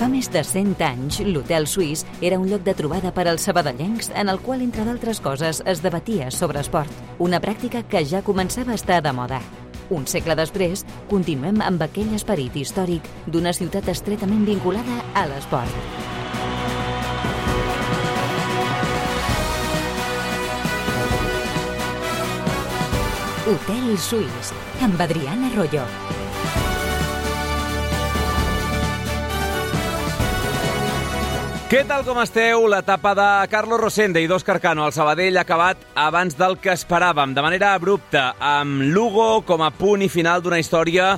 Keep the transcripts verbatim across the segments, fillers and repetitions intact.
Fa més de cent anys, l'Hotel Suís era un lloc de trobada per als sabadellencs en el qual, entre d'altres coses, es debatia sobre esport, una pràctica que ja començava a estar de moda. Un segle després, continuem amb aquell esperit històric d'una ciutat estretament vinculada a l'esport. Hotel Suís, amb Adriana Arroyo. Què tal, com esteu? L'etapa de Carlos Rosende i d'Òscar Cano al Sabadell ha acabat abans del que esperàvem, de manera abrupta, amb Lugo com a punt i final d'una història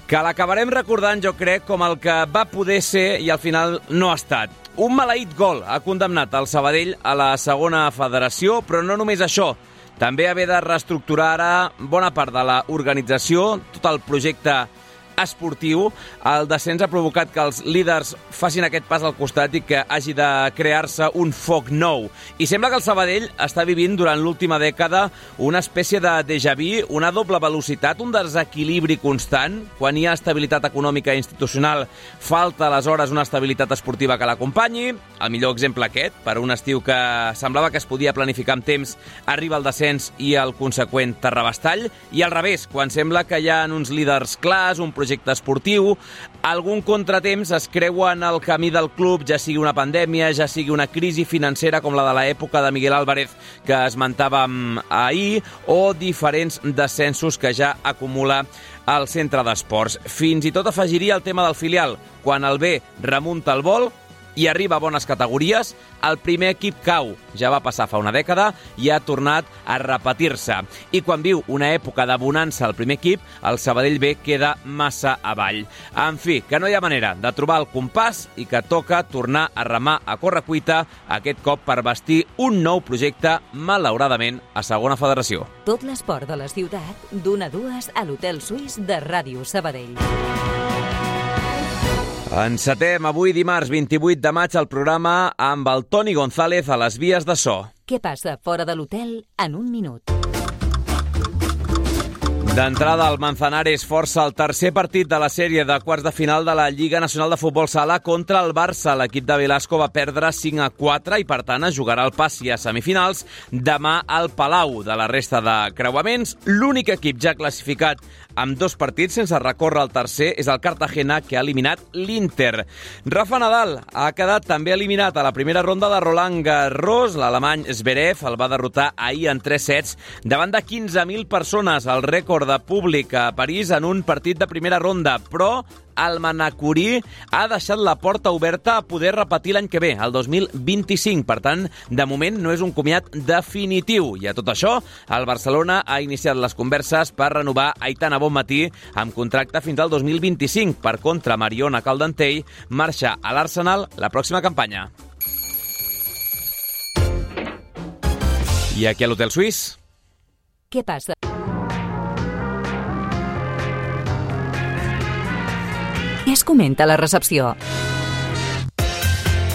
que l'acabarem recordant, jo crec, com el que va poder ser i al final no ha estat. Un maleït gol ha condemnat el Sabadell a la segona federació, però no només això. També haver de reestructurar ara bona part de l'organització, tot el projecte esportiu. El descens ha provocat que els líders facin aquest pas al costat i que hagi de crear-se un foc nou. I sembla que el Sabadell està vivint durant l'última dècada una espècie de déjà vu, una doble velocitat, un desequilibri constant. Quan hi ha estabilitat econòmica i institucional, falta aleshores una estabilitat esportiva que l'acompanyi. El millor exemple aquest, per un estiu que semblava que es podia planificar amb temps, arriba el descens i el conseqüent terrabastall. I al revés, quan sembla que hi ha uns líders clars, un projecte esportiu, algun contratemps es creua en el camí del club, ja sigui una pandèmia, ja sigui una crisi financera com la de l'època de Miguel Álvarez que esmentàvem ahir, o diferents descensos que ja acumula el centre d'esports. Fins i tot afegiria el tema del filial. Quan el B remunta el vol i arriba a bones categories, el primer equip cau. Ja va passar fa una dècada i ha tornat a repetir-se. I quan viu una època de bonança al primer equip, el Sabadell B queda massa avall. En fi, que no hi ha manera de trobar el compàs i que toca tornar a remar a correcuita, aquest cop per bastir un nou projecte, malauradament, a segona federació. Tot l'esport de la ciutat, d'una a dues a l'Hotel Suís de Ràdio Sabadell. Encetem avui dimarts vint-i-vuit de maig el programa amb el Toni González a les vies de so. Què passa fora de l'hotel en un minut? D'entrada, el Manzanares força el tercer partit de la sèrie de quarts de final de la Lliga Nacional de Futbol Sala contra el Barça. L'equip de Velasco va perdre cinc a quatre i, per tant, es jugarà el passi a semifinals demà al Palau. De la resta de creuaments, l'únic equip ja classificat amb dos partits sense recórrer al tercer és el Cartagena, que ha eliminat l'Inter. Rafa Nadal ha quedat també eliminat a la primera ronda de Roland Garros. L'alemany Zverev el va derrotar ahir en tres sets davant de quinze mil persones, el rècord de públic a París en un partit de primera ronda, però el manacorí ha deixat la porta oberta a poder repetir l'any que ve, el dos mil vint-i-cinc. Per tant, de moment no és un comiat definitiu. I a tot això, el Barcelona ha iniciat les converses per renovar Aitana Bonmatí amb contracte fins al dos mil vint-i-cinc. Per contra, Mariona Caldentell marxa a l'Arsenal la pròxima campanya. I aquí a l'Hotel Suís? Què passa? Què es comenta a la recepció?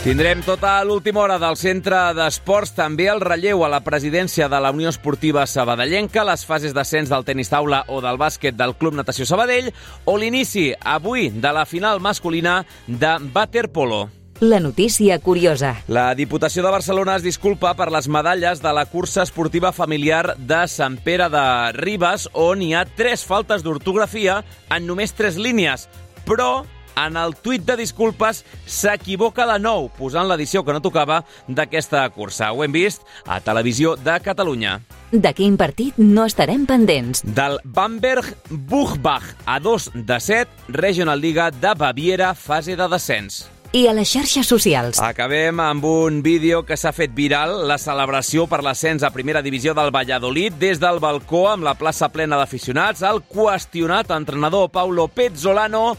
Tindrem tota l'última hora del centre d'esports, també el relleu a la presidència de la Unió Esportiva Sabadellenca, les fases d'ascens del tenis taula o del bàsquet del Club Natació Sabadell, o l'inici avui de la final masculina de waterpolo. La notícia curiosa. La Diputació de Barcelona es disculpa per les medalles de la cursa esportiva familiar de Sant Pere de Ribes, on hi ha tres faltes d'ortografia en només tres línies. Però en el tuit de disculpes s'equivoca de nou, posant l'edició que no tocava d'aquesta cursa. Ho hem vist a Televisió de Catalunya. De quin partit no estarem pendents? Del Bamberg Buchbach, a dos de set, Regional Liga de Baviera, fase de descens. I a les xarxes socials. Acabem amb un vídeo que s'ha fet viral, la celebració per l'ascens a primera divisió del Valladolid. Des del balcó, amb la plaça plena d'aficionats, el qüestionat entrenador Paulo Pezzolano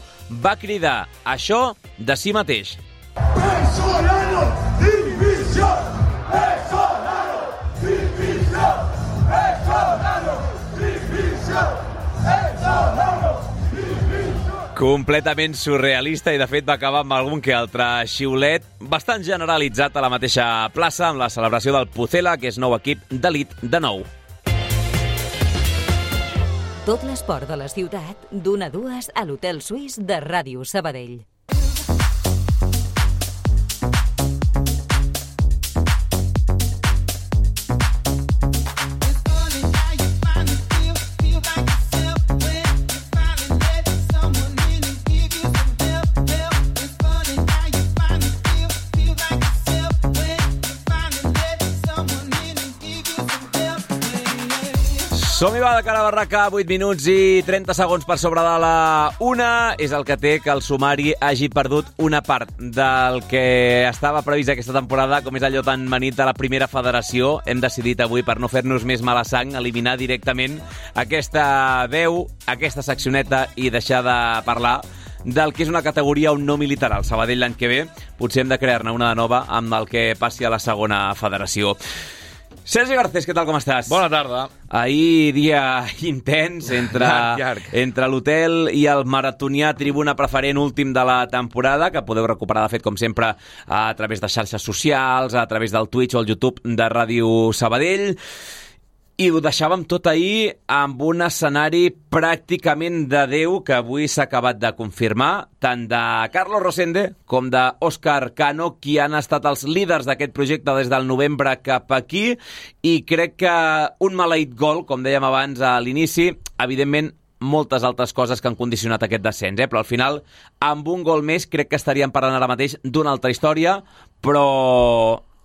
va cridar això de si mateix. Pezzolano, divisió! Pezzolano, divisió! Pezzolano, divisió! Pezzolano! Completament surrealista i, de fet, va acabar amb algun que altre xiulet bastant generalitzat a la mateixa plaça amb la celebració del Pucela, que és nou equip d'elit de nou. Tot l'esport de la ciutat, d'una a dues a l'Hotel Suís de Ràdio Sabadell. Som-hi, va, de cara a barraca, vuit minuts i trenta segons per sobre de la una. És el que té que el sumari hagi perdut una part del que estava previst aquesta temporada, com és allò tan manit de la primera federació. Hem decidit avui, per no fer-nos més mala sang, eliminar directament aquesta veu, aquesta seccioneta i deixar de parlar del que és una categoria on no militarà el Sabadell l'any que ve. Potser hem de crear-ne una de nova amb el que passi a la segona federació. Sergi Garcés, què tal, com estàs? Bona tarda. Ahir dia intens entre, llarg, llarg. entre l'hotel i el maratonià tribuna preferent últim de la temporada, que podeu recuperar, de fet, com sempre, a través de xarxes socials, a través del Twitch o el YouTube de Ràdio Sabadell. I ho deixàvem tot ahir amb un escenari pràcticament de Déu que avui s'ha acabat de confirmar, tant de Carlos Rosende com d'Òscar Cano, qui han estat els líders d'aquest projecte des del novembre cap aquí, i crec que un maleït gol, com dèiem abans a l'inici, evidentment moltes altres coses que han condicionat aquest descens, eh? Però al final, amb un gol més, crec que estaríem parlant ara mateix d'una altra història, però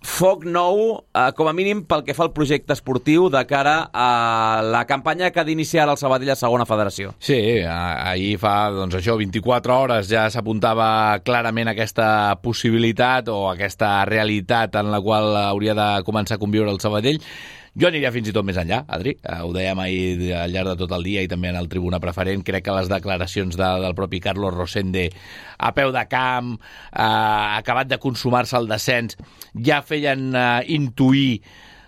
foc nou, eh, com a mínim pel que fa al projecte esportiu de cara a la campanya que ha d'iniciar el Sabadell a segona federació. Sí, ahir fa, doncs això, vint-i-quatre hores ja s'apuntava clarament aquesta possibilitat o aquesta realitat en la qual hauria de començar a conviure el Sabadell. Jo aniria fins i tot més enllà, Adri. Ho dèiem ahir al llarg de tot el dia i també en el tribuna preferent. Crec que les declaracions de, del propi Carlos Rosende a peu de camp, eh, acabat de consumar-se el descens, ja feien eh, intuir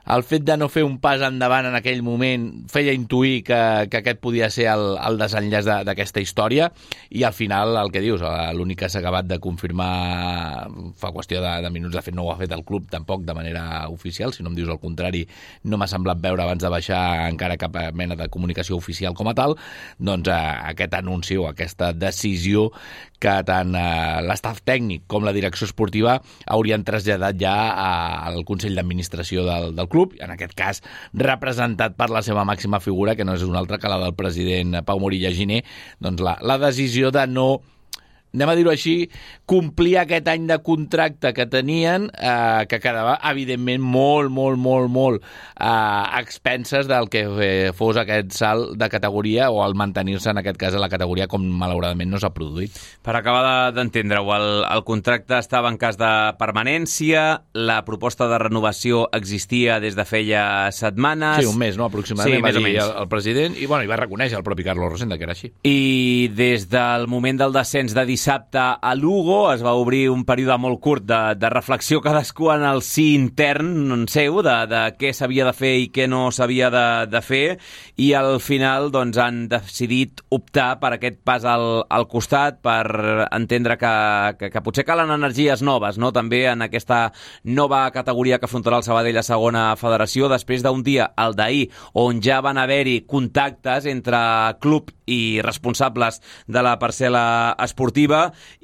el fet de no fer un pas endavant en aquell moment, feia intuir que, que aquest podia ser el, el desenllaç de, d'aquesta història, i al final, el que dius, l'únic que s'ha acabat de confirmar fa qüestió de, de minuts, de fet no ho ha fet el club tampoc de manera oficial, si no em dius el contrari, no m'ha semblat veure abans de baixar encara cap mena de comunicació oficial com a tal, doncs eh, aquest anunci o aquesta decisió que tant eh, l'estaf tècnic com la direcció esportiva haurien traslladat ja a, al Consell d'Administració del, del club, en aquest cas representat per la seva màxima figura, que no és una altra que la del president Pau Morilla Giner, doncs la, la decisió de no, anem a dir-ho així, complir aquest any de contracte que tenien, eh, que quedava, evidentment, molt, molt, molt, molt eh, a expenses del que eh, fos aquest salt de categoria o el mantenir-se, en aquest cas, a la categoria com malauradament no s'ha produït. Per acabar d'entendre-ho, el, el contracte estava en cas de permanència, la proposta de renovació existia des de feia setmanes... Sí, un mes, no?, aproximadament, sí, va dir el, el president, i, bueno, i va reconèixer el propi Carlos Rosende que era així. I des del moment del descens de dissabte a Lugo es va obrir un període molt curt de, de reflexió cadascú en el sí intern seu de, de què s'havia de fer i què no s'havia de, de fer, i al final doncs, han decidit optar per aquest pas al, al costat, per entendre que, que, que potser calen energies noves, no? També en aquesta nova categoria que afrontarà el Sabadell a segona federació, després d'un dia, el d'ahir, on ja van haver-hi contactes entre club i responsables de la parcel·la esportiva,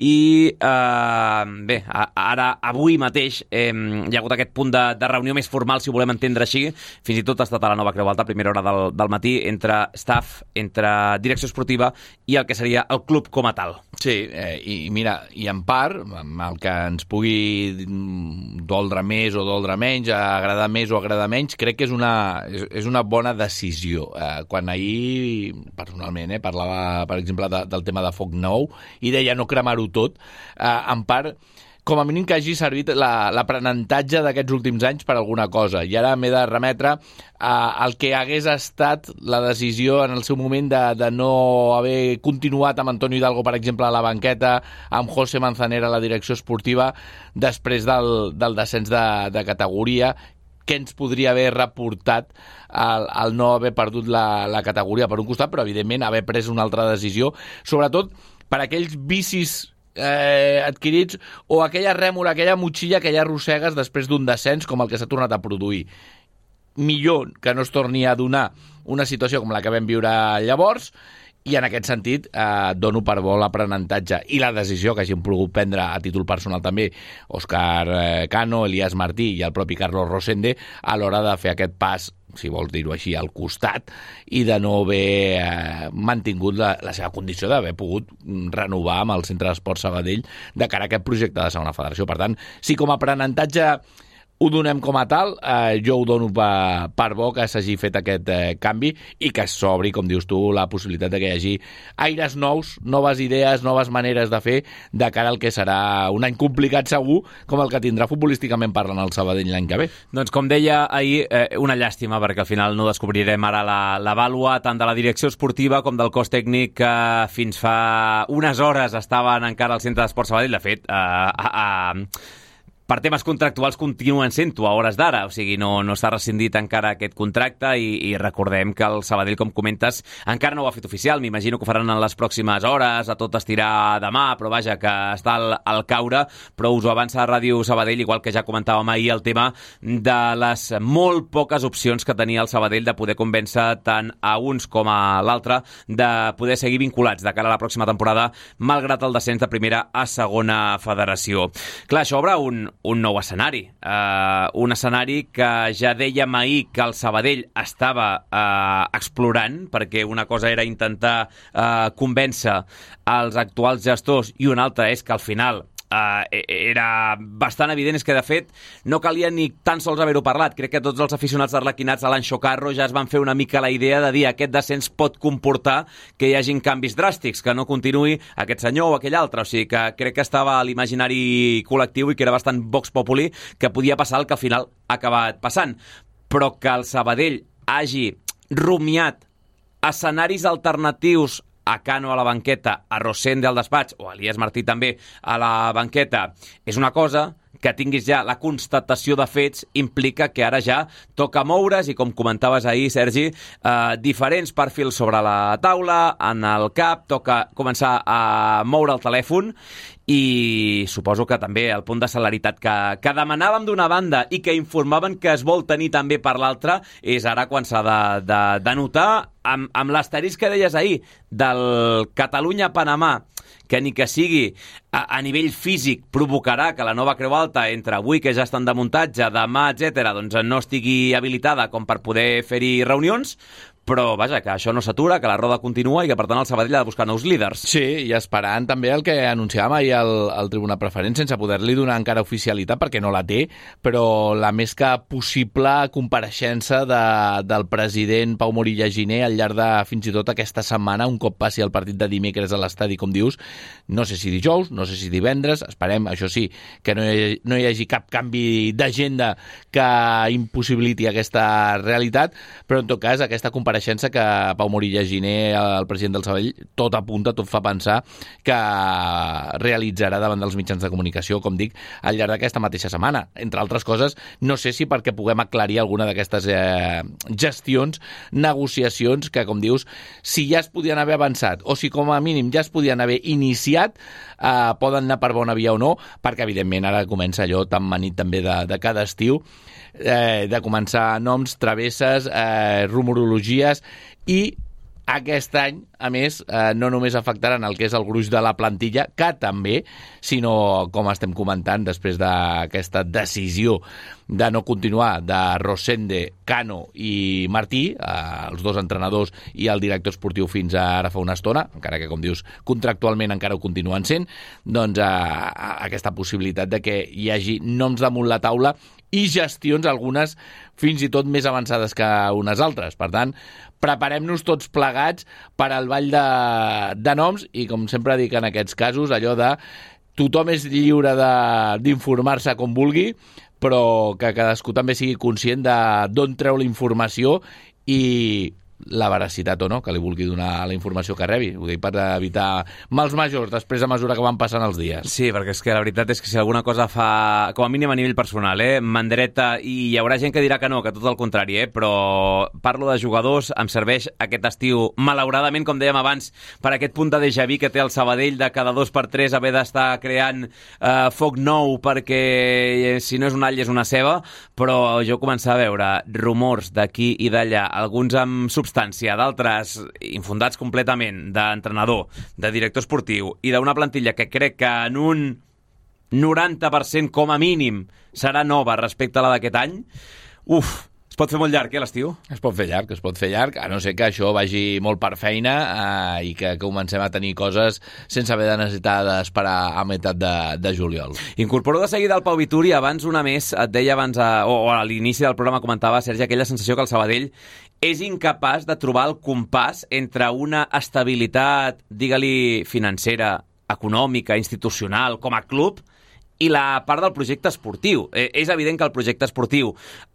i eh, bé, ara, avui mateix eh, hi ha hagut aquest punt de, de reunió més formal, si ho volem entendre així, fins i tot ha estat a la Nova Creu Alta a primera hora del, del matí, entre staff, entre direcció esportiva i el que seria el club com a tal. Sí, eh, i mira, i en part, amb el que ens pugui doldre més o doldre menys, agradar més o agradar menys, crec que és una, és, és una bona decisió. Eh, quan ahir, personalment, eh, parlava, per exemple, de, del tema de foc nou, i deia no cremar-ho tot, eh, en part, com a mínim que hagi servit la, l'aprenentatge d'aquests últims anys per alguna cosa. I ara m'he de remetre al que hagués estat la decisió en el seu moment de, de no haver continuat amb Antonio Hidalgo, per exemple, a la banqueta, amb José Manzanera a la direcció esportiva, després del, del descens de, de categoria, que ens podria haver reportat el, el no haver perdut la, la categoria per un costat, però evidentment haver pres una altra decisió, sobretot per aquells vicis Eh, adquirits o aquella rèmora, aquella motxilla que ja arrossegues després d'un descens com el que s'ha tornat a produir. Millor que no es torni a donar una situació com la que vam viure llavors, i en aquest sentit eh, dono per bo l'aprenentatge i la decisió que hagin pogut prendre a títol personal també Òscar eh, Cano, Elias Martí i el propi Carlos Rosende a l'hora de fer aquest pas, si vols dir-ho així, al costat, i de no haver eh, mantingut la, la seva condició d'haver pogut renovar amb el Centre d'Esports Sabadell de cara a aquest projecte de segona federació. Per tant, si com a aprenentatge ho donem com a tal, eh, jo ho dono per, per bo que s'hagi fet aquest eh, canvi i que s'obri, com dius tu, la possibilitat de que hi hagi aires nous, noves idees, noves maneres de fer de cara al que serà un any complicat segur, com el que tindrà futbolísticament parlant el Sabadell l'any que ve. Doncs com deia ahir, eh, una llàstima, perquè al final no descobrirem ara la, la vàlua tant de la direcció esportiva com del cos tècnic que fins fa unes hores estaven encara al centre d'Esport Sabadell. De fet, eh, a, a, per temes contractuals continuen sent-ho a hores d'ara, o sigui, no, no s'ha rescindit encara aquest contracte i, i recordem que el Sabadell, com comentes, encara no ho ha fet oficial. M'imagino que ho faran en les pròximes hores, a tot estirar demà, però vaja, que està al, al caure, però us ho avança a Ràdio Sabadell, igual que ja comentàvem ahir el tema de les molt poques opcions que tenia el Sabadell de poder convèncer tant a uns com a l'altre de poder seguir vinculats de cara a la pròxima temporada, malgrat el descens de primera a segona federació. Clar, això obre un un nou escenari. Uh, un escenari que ja dèiem ahir que el Sabadell estava uh, explorant, perquè una cosa era intentar uh, convèncer els actuals gestors i una altra és que al final Uh, era bastant evident, és que de fet no calia ni tan sols haver-ho parlat. Crec que tots els aficionats d'Arlequinats a l'Anxo Carro ja es van fer una mica la idea de dir aquest descens pot comportar que hi hagin canvis dràstics, que no continuï aquest senyor o aquell altre, o sigui que crec que estava a l'imaginari col·lectiu i que era bastant vox populi que podia passar el que al final ha acabat passant, però que el Sabadell hagi rumiat escenaris alternatius a Cano a la banqueta, a Rosende al despatx, o a Elias Martí també a la banqueta, és una cosa. Que tinguis ja la constatació de fets implica que ara ja toca moure's i, com comentaves ahir, Sergi, eh, diferents perfils sobre la taula, en el cap, toca començar a moure el telèfon i suposo que també el punt de celeritat que, que demanàvem d'una banda i que informaven que es vol tenir també per l'altra és ara quan s'ha de, de, de notar amb, amb l'asterisc que deies ahir del Catalunya-Panamà, que ni que sigui a, a nivell físic provocarà que la nova Creu Alta entre avui, que ja estan de muntatge, demà, etcètera, doncs no estigui habilitada com per poder fer-hi reunions, però vaja, que això no s'atura, que la roda continua i que per tant el Sabadell ha de buscar nous líders. Sí, i esperant també el que anunciàvem ahir al, al Tribuna Preferent, sense poder-li donar encara oficialitat perquè no la té, però la més que possible compareixença de, del president Pau Morilla Giner al llarg de fins i tot aquesta setmana, un cop passi el partit de dimecres a l'estadi, com dius, no sé si dijous, no sé si divendres, esperem, això sí, que no hi, no hi hagi cap canvi d'agenda que impossibiliti aquesta realitat, però en tot cas aquesta compareixença que Pau Morilla Giner, el president del Sabadell, tot apunta, tot fa pensar que realitzarà davant dels mitjans de comunicació, com dic, al llarg d'aquesta mateixa setmana. Entre altres coses, no sé si perquè puguem aclarir alguna d'aquestes eh, gestions, negociacions, que, com dius, si ja es podien haver avançat o si com a mínim ja es podien haver iniciat, eh, poden anar per bona via o no, perquè evidentment ara comença allò tan manit també de, de cada estiu, eh, de començar noms, travesses, eh, rumorologies i aquest any, a més, eh, no només afectaran el que és el gruix de la plantilla, que també, sinó, com estem comentant, després d'aquesta decisió de no continuar de Rosende, Cano i Martí, eh, els dos entrenadors i el director esportiu fins a ara fa una estona, encara que, com dius, contractualment encara ho continuen sent, doncs eh, aquesta possibilitat de que hi hagi noms damunt la taula i gestions, algunes fins i tot més avançades que unes altres. Per tant, preparem-nos tots plegats per al ball de, de noms i, com sempre dic en aquests casos, allò de tothom és lliure d'informar-se com vulgui, però que cadascú també sigui conscient de d'on treu la informació i la veracitat o no que li vulgui donar a la informació que rebi. Ho dic per evitar mals majors després a mesura que van passant els dies. Sí, perquè és que la veritat és que si alguna cosa fa, com a mínim a nivell personal, eh, mandreta, i hi haurà gent que dirà que no, que tot el contrari, eh, però parlo de jugadors, em serveix aquest estiu, malauradament, com dèiem abans, per aquest punt de déjà vu que té el Sabadell de cada dos per tres haver d'estar creant eh, foc nou perquè eh, si no és un all és una ceba, però jo començava a veure rumors d'aquí i d'allà, alguns amb substància, d'altres infundats completament, d'entrenador, de director esportiu i d'una plantilla que crec que en un noranta per cent com a mínim serà nova respecte a la d'aquest any. Uf, Es pot fer molt llarg, eh, l'estiu? Es pot fer llarg, es pot fer llarg, a no ser que això vagi molt per feina eh, i que comencem a tenir coses sense haver de necessitar d'esperar a meitat de, de juliol. Incorporo de seguida el Pau Vituri. Abans una més, et deia abans, a, o, o a l'inici del programa comentava, Sergi, aquella sensació que el Sabadell és incapaç de trobar el compàs entre una estabilitat, digue-li, financera, econòmica, institucional, com a club, i la part del projecte esportiu. Eh, és evident que el projecte esportiu,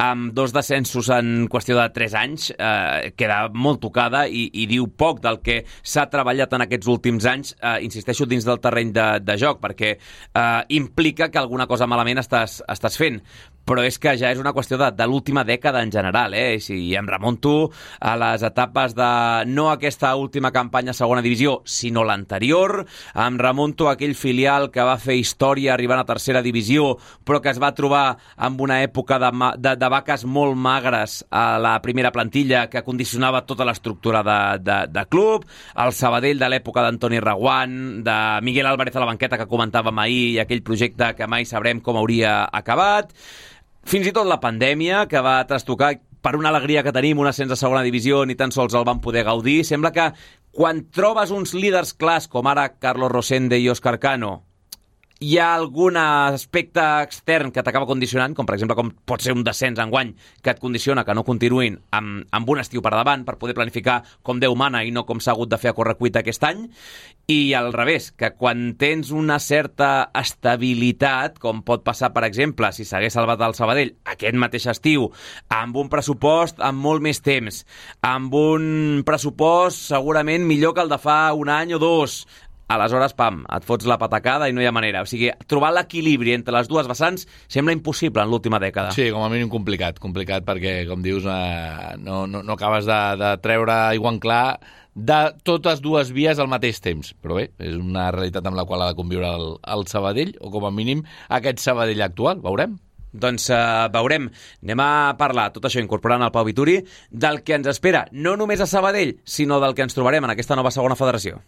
amb dos descensos en qüestió de tres anys, eh, queda molt tocada i, i diu poc del que s'ha treballat en aquests últims anys, eh, insisteixo, dins del terreny de, de joc, perquè eh, implica que alguna cosa malament estàs, estàs fent. Però és que ja és una qüestió de, de l'última dècada en general, eh? Si em remonto a les etapes de no aquesta última campanya a segona divisió, sinó l'anterior, em remonto a aquell filial que va fer història arribant a tercera divisió, però que es va trobar amb una època de, de, de vaques molt magres a la primera plantilla que condicionava tota l'estructura de, de, de club, el Sabadell de l'època d'Antoni Reguant, de Miguel Álvarez a la banqueta que comentàvem ahir i aquell projecte que mai sabrem com hauria acabat. Fins i tot la pandèmia, que va trastocar per una alegria que tenim, un ascens a segona divisió, ni tan sols el van poder gaudir. Sembla que quan trobes uns líders clars, com ara Carlos Rosende i Óscar Cano, hi ha algun aspecte extern que t'acaba condicionant, com per exemple com pot ser un descens enguany que et condiciona que no continuïn amb, amb un estiu per davant per poder planificar com Déu mana i no com s'ha hagut de fer a correcuita aquest any, i al revés, que quan tens una certa estabilitat, com pot passar per exemple si s'hagués salvat el Sabadell aquest mateix estiu, amb un pressupost amb molt més temps, amb un pressupost segurament millor que el de fa un any o dos, aleshores, pam, et fots la patacada i no hi ha manera. O sigui, trobar l'equilibri entre les dues vessants sembla impossible en l'última dècada. Sí, com a mínim complicat, complicat perquè, com dius, eh, no, no, no acabes de, de treure aigua en clar de totes dues vies al mateix temps. Però bé, és una realitat amb la qual ha de conviure el, el Sabadell, o com a mínim aquest Sabadell actual, veurem. Doncs uh, veurem. Anem a parlar, tot això incorporant el Pau Vituri, del que ens espera, no només a Sabadell, sinó del que ens trobarem en aquesta nova segona federació.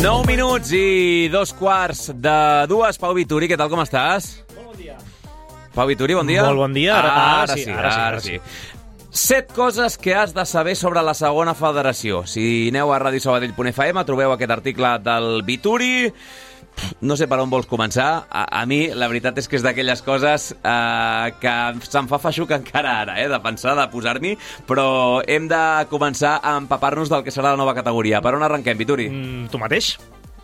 nou minuts i dos quarts de dues. Pau Vituri, què tal, com estàs? Molt bon dia. Pau Vituri, bon dia. Molt bon dia. Ara, ara, ara, sí, sí, ara, ara, ara sí, sí. sí. Set coses que has de saber sobre la segona federació. Si aneu a radio sabadell punt f m trobeu aquest article del Vituri. No sé per on vols començar. A, a mi, la veritat és que és d'aquelles coses eh, que se'm fa feixuc encara ara, eh, de pensar, de posar-m'hi, però hem de començar a empapar-nos del que serà la nova categoria. Per on arrenquem, Vituri? Mm, tu mateix?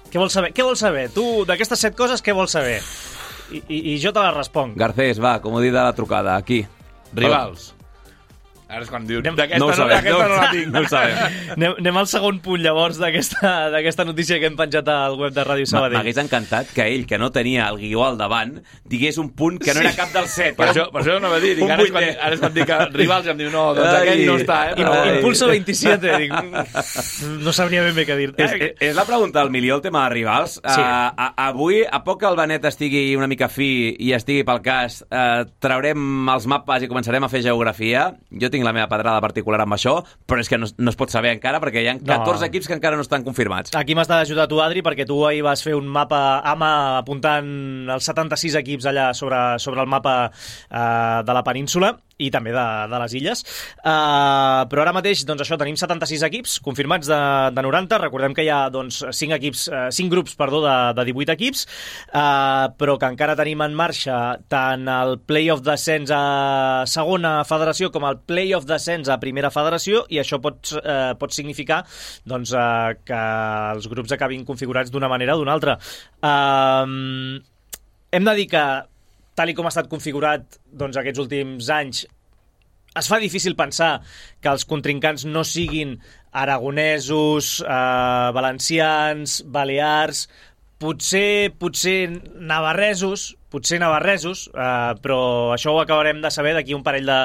Què vols saber? Què vols saber? Tu, d'aquestes set coses, què vols saber? I, i, i jo te les responc. Garcés, va, com ho dit de la trucada, aquí. Rivals. Ara és quan dius... No ho sabem, no, no la tinc. No ho sabem. Anem, anem al segon punt, llavors, d'aquesta notícia que hem penjat al web de Ràdio Sabadell. M'hagués encantat que ell, que no tenia el guió al davant, digués un punt que no era cap dels set. Per això, per això no va dir. Dic, ara, és quan, ara és quan dic que rivals i em diu, no, doncs aquell no està, eh? Però... Impulso veintisiete. Dic, no sabria ben bé què dir. És, és la pregunta del milió, el tema de rivals. Sí. Uh, a, avui, a poc que el Benet estigui una mica fi i estigui pel cas, uh, traurem els mapes i començarem a fer geografia. Jo tinc la meva pedrada particular amb això, però és que no, no es pot saber encara perquè hi ha catorze no. equips que encara no estan confirmats. Aquí m'has d'ajudar tu, Adri, perquè tu ahir vas fer un mapa A M A apuntant els setanta-sis equips allà sobre, sobre el mapa eh, de la península i també de, de les illes. Uh, però ara mateix, doncs això, tenim setanta-sis equips confirmats de, de noranta. Recordem que hi ha doncs, cinc, equips, uh, cinc grups perdó, de, de divuit equips, uh, però que encara tenim en marxa tant el play-off descens a segona federació com el play-off descens a primera federació, i això pot, uh, pot significar doncs, uh, que els grups acabin configurats d'una manera o d'una altra. Uh, hem de dir que tal i com ha estat configurat doncs, aquests últims anys, es fa difícil pensar que els contrincants no siguin aragonesos, eh, valencians, balears, potser, potser navarresos, potser navarresos, eh, però això ho acabarem de saber d'aquí un parell de,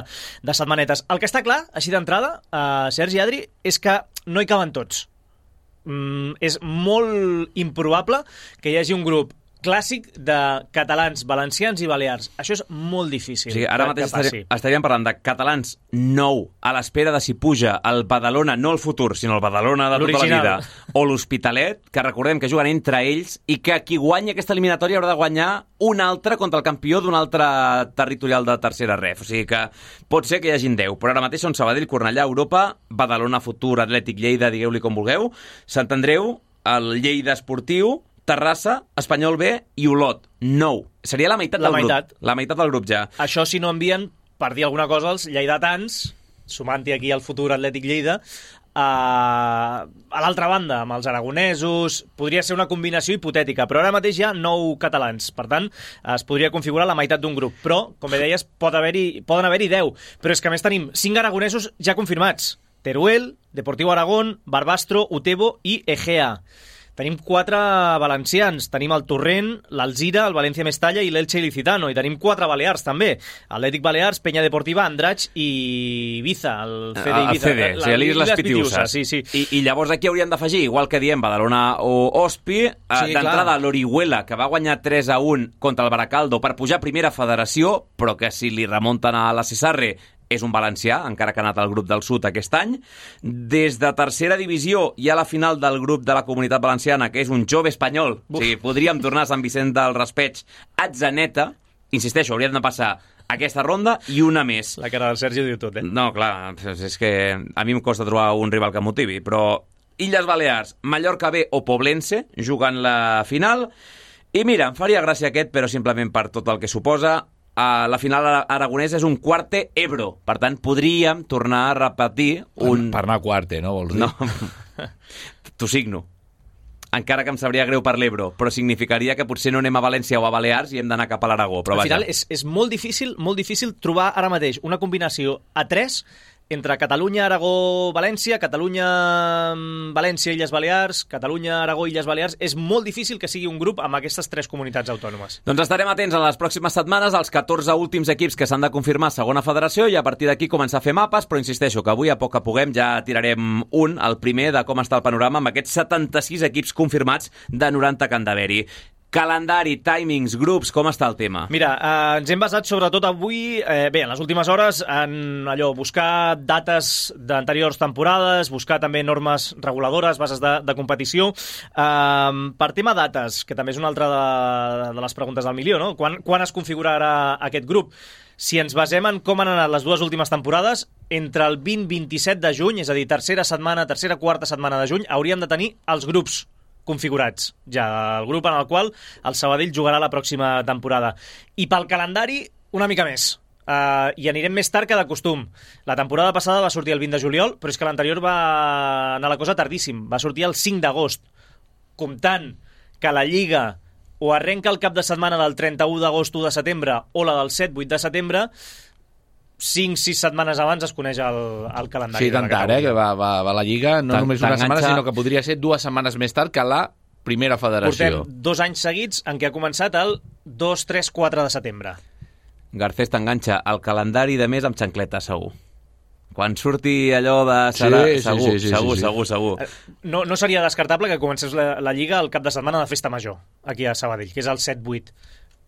de setmanetes. El que està clar, així d'entrada, eh, Sergi i Adri, és que no hi caben tots. Mm, és molt improbable que hi hagi un grup clàssic de catalans, valencians i balears. Això és molt difícil. O sigui, ara mateix estaríem, estaríem parlant de catalans nou a l'espera de si puja el Badalona, no el futur, sinó el Badalona de tota la vida, o l'Hospitalet, que recordem que juguen entre ells i que qui guanya aquesta eliminatòria haurà de guanyar un altre contra el campió d'un altre territorial de tercera ref. O sigui que pot ser que hi hagin deu, però ara mateix són Sabadell, Cornellà, Europa, Badalona, Futur, Atlètic, Lleida, digueu-li com vulgueu, Sant Andreu, el Lleida Esportiu, Terrassa, Espanyol B i Olot. Nou. Seria la meitat la del meitat. grup. La meitat del grup ja. Això si no envien, per dir alguna cosa, els lleidatans, sumant-hi aquí el Futur Atlètic Lleida, a, a l'altra banda, amb els aragonesos, podria ser una combinació hipotètica, però ara mateix hi ha nou catalans, per tant, es podria configurar la meitat d'un grup, però, com bé deies, pot haver-hi, poden haver-hi deu, però és que a més tenim cinc aragonesos ja confirmats, Teruel, Deportiu Aragón, Barbastro, Utebo i Egea. Tenim quatre valencians, tenim el Torrent, l'Alzira, el València Mestalla i l'Elche Ilicitano, i tenim quatre balears també, Atlètic Balears, Penya Deportiva, Andratx i Ibiza, el C D Ibiza. El C D, o sigui, l'Isles Pitiuses. Sí, sí. I, I llavors aquí hauríem d'afegir, igual que diem Badalona o Ospi, sí, d'entrada l'Orihuela, que va guanyar tres a un contra el Baracaldo per pujar a primera federació, però que si li remunten a la Cesarre és un valencià, encara que ha anat al grup del sud aquest any. Des de tercera divisió hi ha la final del grup de la Comunitat Valenciana, que és un jove espanyol. Uf. O sigui, podríem tornar a Sant Vicent del Raspeig, Atzeneta. Insisteixo, hauríem de passar aquesta ronda i una més. La cara del Sergi ho diu tot, eh? No, clar, és que a mi em costa trobar un rival que motivi, però Illes Balears, Mallorca B o Poblense jugant la final. I mira, em faria gràcia aquest, però simplement per tot el que suposa. Uh, la final aragonesa és un quarte Ebro. Per tant, podríem tornar a repetir un... Per anar a quarte, no, vols dir? No. T'ho signo. Encara que em sabria greu per l'Ebro, però significaria que potser no anem a València o a Balears i hem d'anar cap a l'Aragó. Però al vaja. final és, és molt difícil, molt difícil trobar ara mateix una combinació a tres entre Catalunya, Aragó, València, Catalunya, València, Illes Balears, Catalunya, Aragó, Illes Balears. És molt difícil que sigui un grup amb aquestes tres comunitats autònomes. Doncs estarem atents en les pròximes setmanes als catorze últims equips que s'han de confirmar a segona federació i a partir d'aquí començar a fer mapes, però insisteixo que avui a poc que puguem ja tirarem un, el primer de com està el panorama amb aquests setanta-sis equips confirmats de noranta que han d'haver-hi. Calendari, timings, grups, com està el tema? Mira, eh, ens hem basat sobretot avui, eh, bé, en les últimes hores, en allò, buscar dates d'anteriors temporades, buscar també normes reguladores, bases de, de competició. Eh, per tema dates, que també és una altra de, de les preguntes del milió, no? Quan, quan es configurarà aquest grup? Si ens basem en com han anat les dues últimes temporades, entre el vint i vint-i-set de juny, és a dir, tercera setmana, tercera quarta setmana de juny, hauríem de tenir els grups configurats, ja, el grup en el qual el Sabadell jugarà la pròxima temporada. I pel calendari, una mica més. Uh, I anirem més tard que de costum. La temporada passada va sortir el vint de juliol, però és que l'anterior va anar la cosa tardíssim. Va sortir el cinc d'agost. Comptant que la Lliga o arrenca el cap de setmana del trenta-u d'agost u de setembre o la del set vuit de setembre, cinc sis setmanes abans es coneix el, el calendari. Sí, tant tard, eh, que va, va, va la Lliga, no tant, només una setmana, sinó que podria ser dues setmanes més tard que la primera federació. Portem dos anys seguits en què ha començat el dos, tres, quatre de setembre. Garcés t'enganxa el calendari de mes amb xancleta, segur. Quan surti allò de... Serà, sí, segur, sí, sí, segur, sí, sí. segur, segur. No, no seria descartable que comencés la, la Lliga el cap de setmana de Festa Major, aquí a Sabadell, que és el set vuit.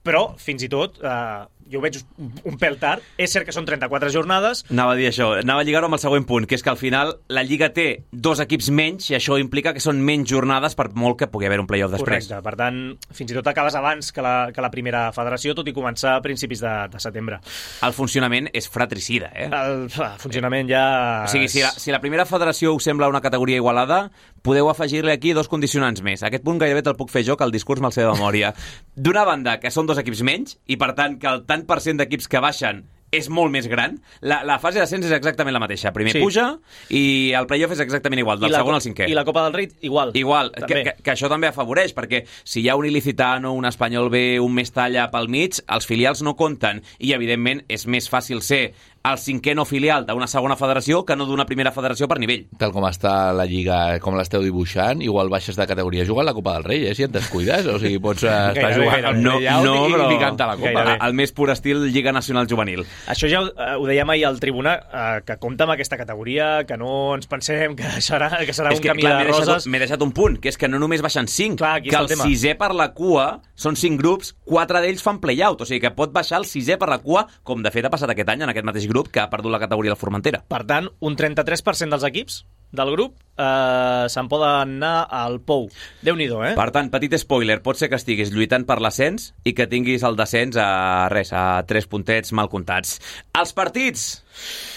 Però, fins i tot, eh, jo ho veig un, un pèl tard. És cert que són trenta-quatre jornades. Anava a dir això, anava a lligar-ho amb el següent punt, que és que al final la Lliga té dos equips menys i això implica que són menys jornades per molt que pugui haver un play-off després. Correcte, per tant, fins i tot acabes abans que la, que la primera federació, tot i començar a principis de, de setembre. El funcionament és fratricida, eh? El, el funcionament ja... O sigui, si la, si la primera federació us sembla una categoria igualada, podeu afegir-li aquí dos condicionants més. Aquest punt gairebé te'l puc fer jo, que el discurs me'l sé de memòria. D'una banda, que són dos equips menys, i per tant que el tant per cent d'equips que baixen és molt més gran. La, la fase d'ascens és exactament la mateixa. Primer sí. puja i el play-off és exactament igual, del segon al cinquè. I la Copa del Rei igual. Igual, que, que, que això també afavoreix, perquè si hi ha un Ilicitano, un Espanyol B, un Mestalla pel mig, els filials no compten i, evidentment, és més fàcil ser el cinquè no filial d'una segona federació que no d'una primera federació per nivell. Tal com està la Lliga, com l'esteu dibuixant, igual baixes de categoria jugant la Copa del Rei, eh, si et descuides. O sigui, pots eh, estar jugant al no, playout no, i però... picant-te la Copa. Gairebé. El més pur estil Lliga Nacional Juvenil. Això ja ho, ho dèiem ahir al Tribuna, eh, que compta amb aquesta categoria, que no ens pensem que serà, que serà És un que, camí clar, de m'he deixat, roses. m'he deixat un punt, que és que no només baixen cinc, Clar, aquí que està el el tema. sisè per la cua són cinc grups, quatre d'ells fan play-out, o sigui que pot baixar el sisè per la cua, com de fet ha passat aquest any en aquest mateix grup que ha perdut la categoria del Formentera. Per tant, un trenta-tres per cent dels equips del grup eh, se'n poden anar al Pou. Déu-n'hi-do, eh? Per tant, petit spoiler, pot ser que estiguis lluitant per l'ascens i que tinguis el descens a res, a tres puntets mal comptats. Els partits,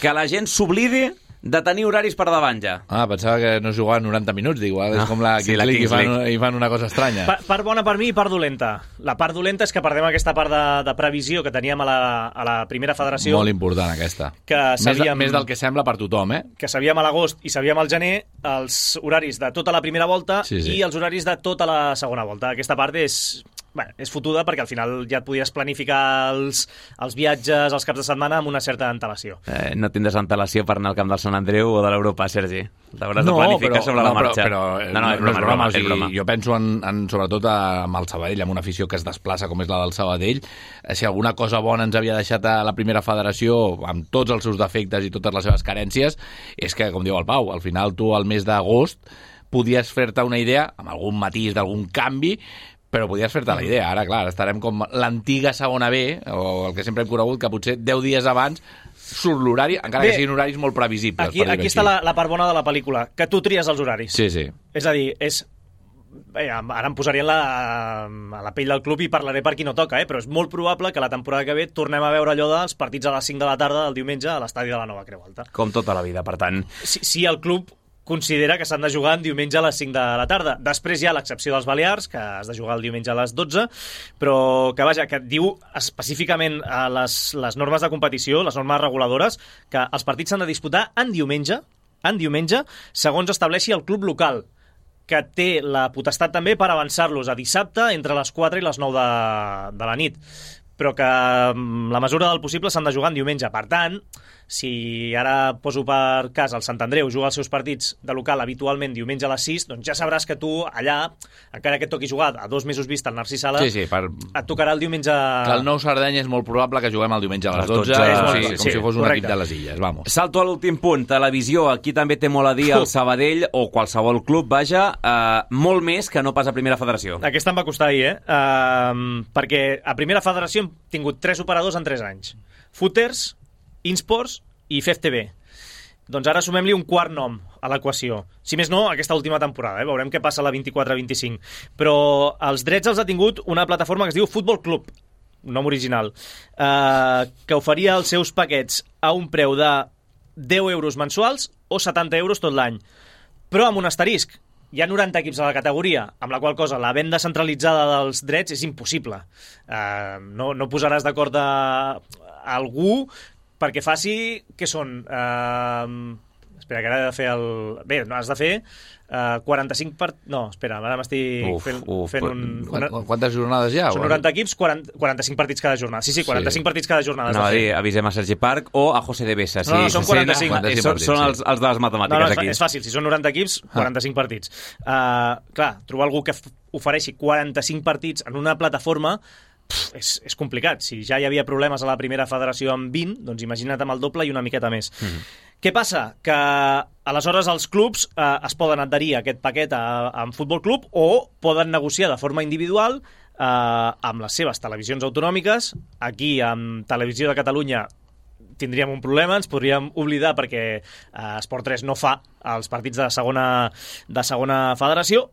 que la gent s'oblidi de tenir horaris per davant ja. Ah, pensava que no jugaven noranta minuts, igual és No, com la sí, Kings la League Kings i fan, League. i fan una cosa estranya. Pa part bona per mi i part dolenta. La part dolenta és que perdem aquesta part de, de previsió que teníem a la, a la primera federació, Molt important, aquesta. que Més, de, sabíem, més del que sembla per tothom, eh? que sabíem a l'agost i sabíem al gener els horaris de tota la primera volta Sí, sí. i els horaris de tota la segona volta. Aquesta part és... Bueno, és fotuda perquè al final ja et podies planificar els, els viatges, els caps de setmana amb una certa antelació. Eh, no tindràs antelació per anar al camp del Sant Andreu o de l'Europa, Sergi. T'hauràs No, de planificar però, sobre no, la marxa. Però, però no, no, és broma, és broma, o és sigui, broma. jo penso en, en, sobretot amb el Sabadell, amb una afició que es desplaça com és la del Sabadell. Si alguna cosa bona ens havia deixat a la primera federació, amb tots els seus defectes i totes les seves carències, és que, com diu el Pau, al final tu al mes d'agost podies fer-te una idea, amb algun matís d'algun canvi, però podies fer-te la idea. Ara, clar, estarem com l'antiga segona B, o el que sempre hem conegut, que potser deu dies abans surt l'horari, encara Bé, que siguin horaris molt previsibles. Aquí, per dir-ho aquí així. està la, la part bona de la pel·lícula, que tu tries els horaris. Sí, sí. És a dir, és... Bé, ara em posaria en la, a la pell del club i parlaré per qui no toca, eh? Però és molt probable que la temporada que ve tornem a veure allò dels partits a les cinc de la tarda del diumenge a l'estadi de la Nova Creu Alta. Com tota la vida, per tant. Si, si el club considera que s'han de jugar en diumenge a les cinc de la tarda. Després hi ha l'excepció dels Balears, que has de jugar el diumenge a les dotze, però que, vaja, que diu específicament a les, les normes de competició, les normes reguladores, que els partits s'han de disputar en diumenge, en diumenge, segons estableixi el club local, que té la potestat també per avançar-los a dissabte entre les quatre i les nou de, de la nit, però que la mesura del possible s'han de jugar en diumenge. Per tant, si ara poso per cas el Sant Andreu juga els seus partits de local habitualment diumenge a les sis, doncs ja sabràs que tu allà, encara que et toqui jugar a dos mesos vista al Narcís Sala, Sí, sí, per... et tocarà el diumenge... Que el nou Sardenya és molt probable que juguem el diumenge a les Les dotze, dotze, o sí, sigui, sí, com sí, si fos un correcte. equip de les Illes, vamos. Salto a l'últim punt, televisió. Aquí també té molt a dir el Sabadell o qualsevol club, vaja, eh, molt més que no pas a primera federació. Aquesta em va costar ahir, eh? Uh, perquè a primera federació hem tingut tres operadors en tres anys. Footers, Insports i F F T V. Doncs ara sumem-li un quart nom a l'equació. Si més no, aquesta última temporada, eh? Veurem què passa a la vint-i-quatre vint-i-cinc. Però els drets els ha tingut una plataforma que es diu Futbol Club, un nom original, eh, que oferia els seus paquets a un preu de deu euros mensuals o setanta euros tot l'any. Però amb un asterisc. Hi ha noranta equips a la categoria, amb la qual cosa la venda centralitzada dels drets és impossible. Eh, no, no posaràs d'acord a algú perquè faci... Què són? Uh, espera, que ara he de fer el... Bé, no, has de fer uh, quaranta-cinc part... No, espera, ara m'estic Uf, fent, uf, fent un... Quant- Una... Quantes jornades hi ha? Són noranta equips, quaranta, quaranta-cinc partits cada jornada. Sí, sí, quaranta-cinc Sí. partits cada jornada. has Anava a de dir, fer. avisem a Sergi Parc o a José de Besa. No, no, són quaranta-cinc. Sí, són, són els, els de les matemàtiques, No, no, és, aquí. és fàcil, si són noranta equips, quaranta-cinc partits. Uh, clar, trobar algú que f- ofereixi quaranta-cinc partits en una plataforma pff, és, és complicat. Si ja hi havia problemes a la primera federació amb vint, doncs imagina't amb el doble i una miqueta més. Mm -hmm. Què passa? Que aleshores els clubs eh, es poden adherir a aquest paquet a, a un futbol club o poden negociar de forma individual eh, amb les seves televisions autonòmiques. Aquí, amb Televisió de Catalunya, tindríem un problema, ens podríem oblidar perquè eh, Esport tres no fa els partits de segona, de segona federació,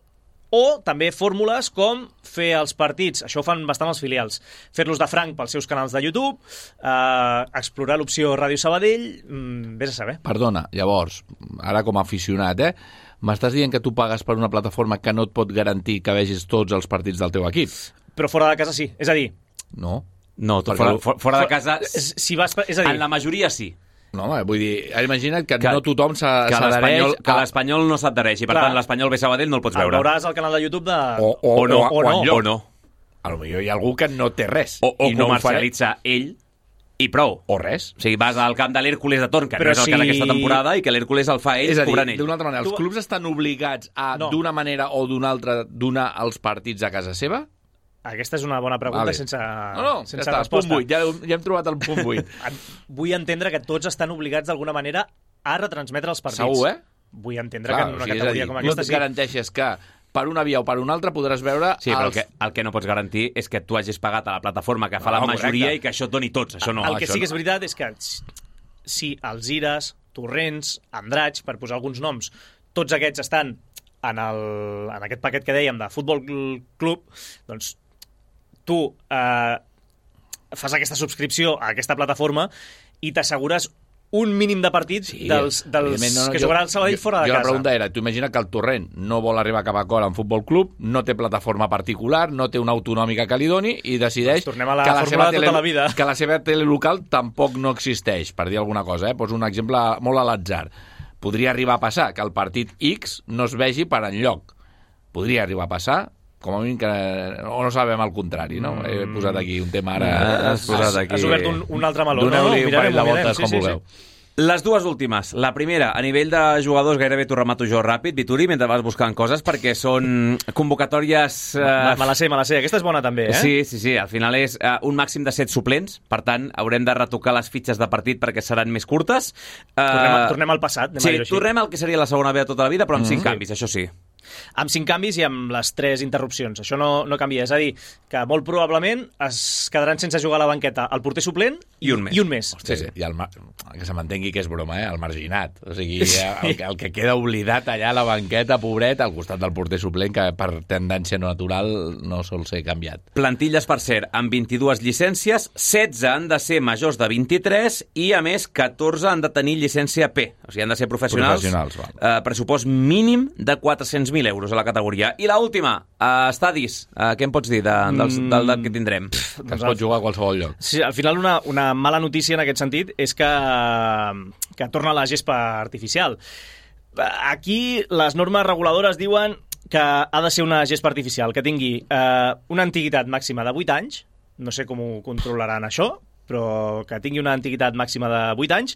o també fórmules com fer els partits, això ho fan bastant els filials, fer-los de franc pels seus canals de YouTube, eh, explorar l'opció Ràdio Sabadell, mm, vés a saber. Perdona, llavors, ara com a aficionat, eh? M'estàs dient que tu pagues per una plataforma que no et pot garantir que vegis tots els partits del teu equip? Però fora de casa sí, és a dir... No. No, tu Perquè fora, lo- fora, fora de casa, Si vas, és a dir, en la majoria sí. No, home, vull dir, imagina't que, Que- no tothom s'ha- Que s'adhereix... l'Espanyol que a- l'Espanyol no s'adhereix i, per Clar. tant, l'Espanyol B Sabadell no el pots el veure. veuràs al canal de YouTube de... O, o, O no, o, o no. enlloc. O no. A lo millor hi ha algú que no té res. O, o i no ho farà. comercialitza ell i prou. O res. O sigui, vas al camp de l'Hèrcules de Torn, que Però no és el si- que d'aquesta temporada, i que l'Hèrcules el fa ell, És a dir, cobrant ell. d'una altra manera, els clubs estan obligats a, No. d'una manera o d'una altra, donar els partits a casa seva? Aquesta és una bona pregunta Vale. sense, No, no, sense ja està, resposta. punt vuit, ja, ja hem trobat el punt vuit. Vull entendre que tots estan obligats d'alguna manera a retransmetre els partits. Segur, eh? Vull entendre Clar, que en una o sigui, és a categoria dir, com no aquesta et sí. garanteixes que per una via o per una altra podràs veure... Sí, però el els... que, el que no pots garantir és que tu hagis pagat a la plataforma que fa No, la majoria correcte. i que això et doni tots. Això no. el que això sí que és no. veritat és que si els Ires, Torrents, Andratx, per posar alguns noms, tots aquests estan en, el, en aquest paquet que dèiem de Futbol Club, doncs tu eh, fas aquesta subscripció a aquesta plataforma i t'assegures un mínim de partits Sí, dels, dels evidentment, no, no, que jo- jugarà el Sabadell jo- fora de jo casa. la pregunta era, tu imagina que el Torrent no vol arribar a cap acord amb Futbol Club, no té plataforma particular, no té una autonòmica que li doni i decideix Doncs tornem a la que, fórmula de tele, tota la vida. que la seva tele local tampoc no existeix, per dir alguna cosa. Eh? Poso un exemple molt a l'atzar. Podria arribar a passar que el partit X no es vegi per enlloc. Podria arribar a passar, com a mínim que... O no sabem el contrari, no? He posat aquí un tema ara... Has posat aquí... Has obert un, un altre meló. Doneu-li no, no, un parell de mirarem, voltes sí, com sí, vulgueu. Sí. Les dues últimes. La primera, a nivell de jugadors, gairebé t'ho remato jo ràpid, Vituri, mentre vas buscant coses, perquè són convocatòries... Eh... Me, me la sé, me la sé. Aquesta és bona també, eh? Sí, sí, sí. Al final és uh, un màxim de set suplents, per tant, haurem de retocar les fitxes de partit perquè seran més curtes. Uh, Tornem, a- tornem al passat, anem a Sí, dir-ho així. tornem al que seria la segona B de tota la vida, però amb cinc Mm. canvis, això sí. Amb cinc canvis i amb les tres interrupcions. Això no, no canvia. És a dir, que molt probablement es quedaran sense jugar a la banqueta el porter suplent I un més. I un més. Sí, sí. I el, mar... que se m'entengui que és broma, eh? El marginat. O sigui, el, que- el que queda oblidat allà a la banqueta, pobret, al costat del porter suplent, que per tendència natural no sol ser canviat. Plantilles, per cert, amb vint-i-dues llicències, setze han de ser majors de vint-i-tres i, a més, catorze han de tenir llicència P. O sigui, han de ser professionals. Professionals, val. Eh, pressupost mínim de quatre-cents mil euros a la categoria. I l'última, uh, estadis. Uh, què em pots dir de, dels, del, del que tindrem? Que es pot jugar a qualsevol lloc. Sí, al final una, una mala notícia en aquest sentit és que, que torna la gespa artificial. Aquí les normes reguladores diuen que ha de ser una gespa artificial, que tingui eh, una antiguitat màxima de vuit anys, no sé com ho controlaran això, però que tingui una antiguitat màxima de vuit anys,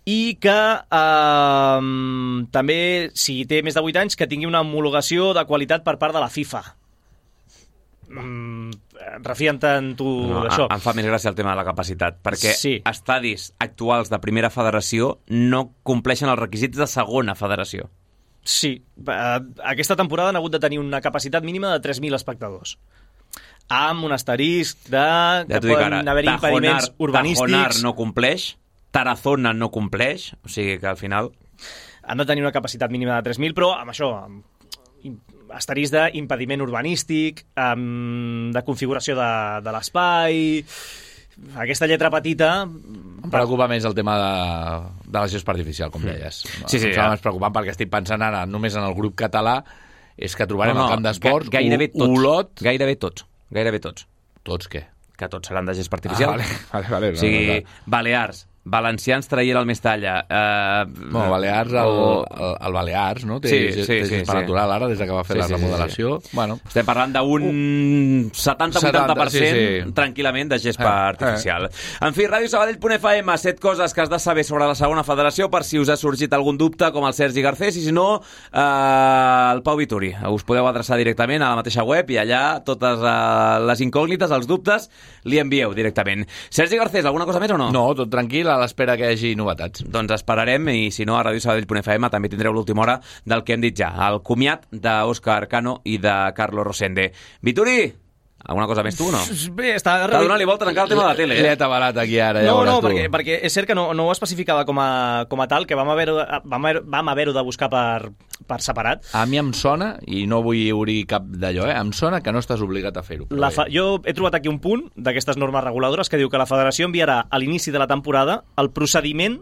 i que eh, també, si té més de vuit anys, que tingui una homologació de qualitat per part de la FIFA. Mm, refien tant tu No, d'això. em fa més gràcia el tema de la capacitat, perquè Sí. estadis actuals de primera federació no compleixen els requisits de segona federació. Sí, eh, aquesta temporada han hagut de tenir una capacitat mínima de tres mil espectadors. Amb un asterisc de que Ja t'ho dic poden ara, haver Tajonar, impediments urbanístics. Tajonar no compleix, Tarazona no compleix, o sigui que al final... Han de tenir una capacitat mínima de tres mil, però amb això, amb im- asterisc d'impediment urbanístic, amb, de configuració de, de l'espai... Aquesta lletra petita... Em preocupa més el tema de, de la gespa artificial, com deies. Sí, sí, em ja. sembla més preocupant perquè estic pensant ara només en el grup català, és que trobarem no, no, al camp d'esports ga- gairebé un tots, Olot... Gairebé tots, gairebé tots. Tots què? Que tots seran de gespa artificial. Ah, vale, vale, vale, O sigui, no, no, no. Balears, valencians traient el Mestalla. Eh, No, Balears, el, o- el, el Balears, no? Té, Sí, sí, té sí, gespa sí. natural ara, des que va fer Sí, la sí, sí, remodelació. sí. Bueno, Estem parlant d'un setanta vuitanta per cent sí, sí. tranquil·lament de gespa Eh, artificial. En fi, Ràdio Sabadell punt F M, set coses que has de saber sobre la segona federació per si us ha sorgit algun dubte, com el Sergi Garcés, i si no, eh, el Pau Vituri. Us podeu adreçar directament a la mateixa web i allà totes eh, les incògnites, els dubtes, li envieu directament. Sergi Garcés, alguna cosa més o no? no, tot tranquil, a l'espera que hi hagi novetats. Doncs esperarem, i si no, a Ràdio Sabadell punt F M també tindreu l'última hora del que hem dit ja, el comiat d'Òscar Cano i de Carlos Rosende. Vituri, alguna cosa més tu o no? Bé, està... T'ha donat-li voltes encara al tema de la tele, L'he eh? atabalat aquí ara, ja No, veuràs no, tu. perquè, perquè és cert que no, no ho especificava com a, com a tal, que vam haver-ho vam, haver, vam haver de buscar per, per separat. A mi em sona, i no vull obrir cap d'allò, eh? Em sona que no estàs obligat a fer-ho. però La bé. fa... Jo he trobat aquí un punt d'aquestes normes reguladores que diu que la federació enviarà a l'inici de la temporada el procediment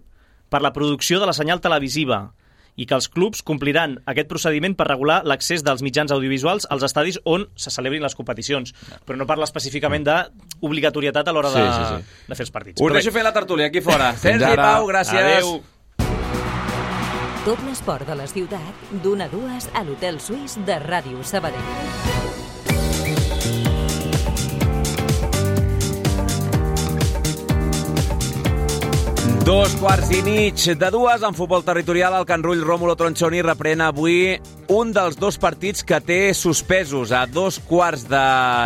per la producció de la senyal televisiva i que els clubs compliran aquest procediment per regular l'accés dels mitjans audiovisuals als estadis on se celebrin les competicions. Però no parla específicament d'obligatorietat a l'hora de, Sí, sí, sí. de fer els partits. Us Però bé, deixo fer la tertúlia aquí fora. Sergi, ara. Pau, gràcies. Adéu. Tot l'esport de la ciutat, d'una a dues a l'Hotel Suís de Ràdio Sabadell. Dos quarts i mig de dues en futbol territorial. El Can Rull Rómulo Tronchoni reprèn avui un dels dos partits que té suspesos. A dos quarts de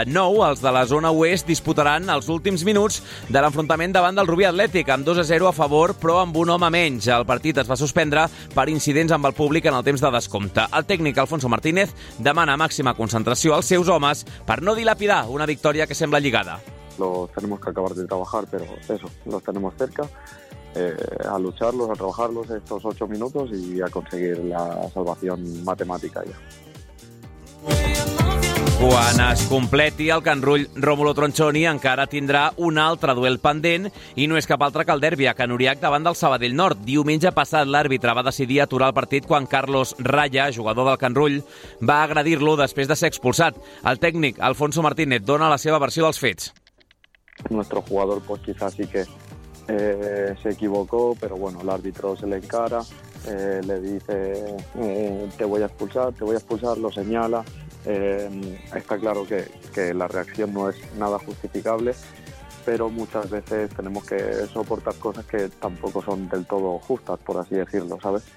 nou, els de la zona oest disputaran els últims minuts de l'enfrontament davant del Rubí Atlètic, amb dos a zero a favor, però amb un home menys. El partit es va suspendre per incidents amb el públic en el temps de descompte. El tècnic Alfonso Martínez demana màxima concentració als seus homes per no dilapidar una victòria que sembla lligada. Los tenemos que acabar de trabajar, pero eso, los tenemos cerca. Eh, a lucharlos, a trabajarlos estos ocho minutos y a conseguir la salvación matemática ya. Quan es completi el Can Rull Rómulo Tronchoni encara tindrà un altre duel pendent i no és cap altre que el derbi a Can Uriac davant del Sabadell Nord. Diumenge passat l'àrbitre va decidir aturar el partit quan Carlos Raya, jugador del Can Rull, va agredir-lo després de ser expulsat. El tècnic Alfonso Martínez dona la seva versió dels fets. Nuestro jugador pues quizás sí que Eh, se equivocó, pero bueno, el árbitro se le encara, eh, le dice eh, te voy a expulsar, te voy a expulsar, lo señala. Eh, está claro que, que la reacción no es nada justificable, pero muchas veces tenemos que soportar cosas que tampoco son del todo justas, por así decirlo, ¿sabes?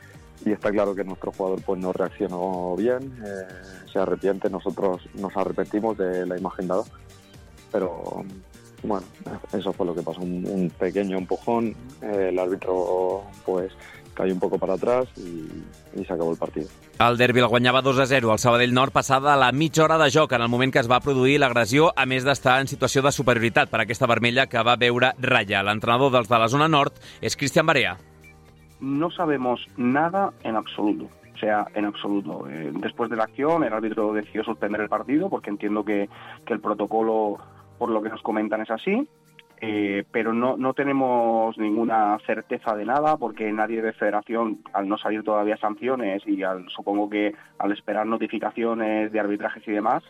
Y está claro que nuestro jugador pues no reaccionó bien, eh, se arrepiente, nosotros nos arrepentimos de la imagen dada, pero... Bueno, eso fue lo que pasó, un, un pequeño empujón, eh, el árbitro pues cayó un poco para atrás y, y se acabó el partido. El derbi el guanyava dos a zero al Sabadell Nord passada la mitja hora de joc en el moment que es va produir l'agressió, a més d'estar en situació de superioritat per aquesta vermella que va veure Raya. L'entrenador dels de la zona nord és Cristian Barea. No sabemos nada en absoluto. O sea, en absoluto. Eh, después de la acción, el árbitro decidió suspender el partido porque entiendo que, que el protocolo, por lo que nos comentan, es así, eh, pero no, no tenemos ninguna certeza de nada porque nadie de federación, al no salir todavía sanciones y al, supongo que al esperar notificaciones de arbitrajes y demás,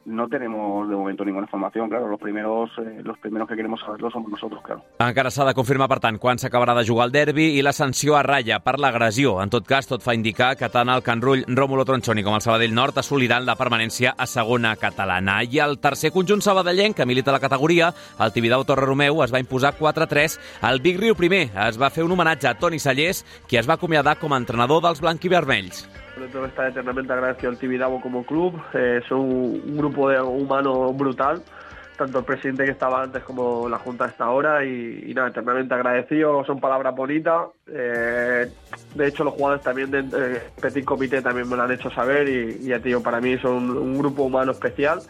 no tenemos de momento ninguna información. Claro, los primeros, eh, los primeros que queremos saberlo somos nosotros, claro. Encara s'ha de confirmar, per tant, quan s'acabarà de jugar el derbi i la sanció a Raya per l'agressió. En tot cas, tot fa indicar que tant el Can Rull Rómulo Tronchoni com el Sabadell Nord assoliran la permanència a segona catalana. I el tercer conjunt sabadellenc, que milita la categoria, el Tibidabo Torre Romeu, es va imposar quatre a tres al Big Riu primer. Es va fer un homenatge a Toni Sallés, qui es va acomiadar com a entrenador dels blanquivermells. Tengo que estar eternamente agradecido al Tibidabo como club, eh, son un, un grupo de humano brutal, tanto el presidente que estaba antes como la junta hasta ahora y, y nada, eternamente agradecido, son palabras bonitas, eh, de hecho los jugadores también de eh, Petit Comité también me lo han hecho saber y, y ya te digo, para mí son un grupo humano especial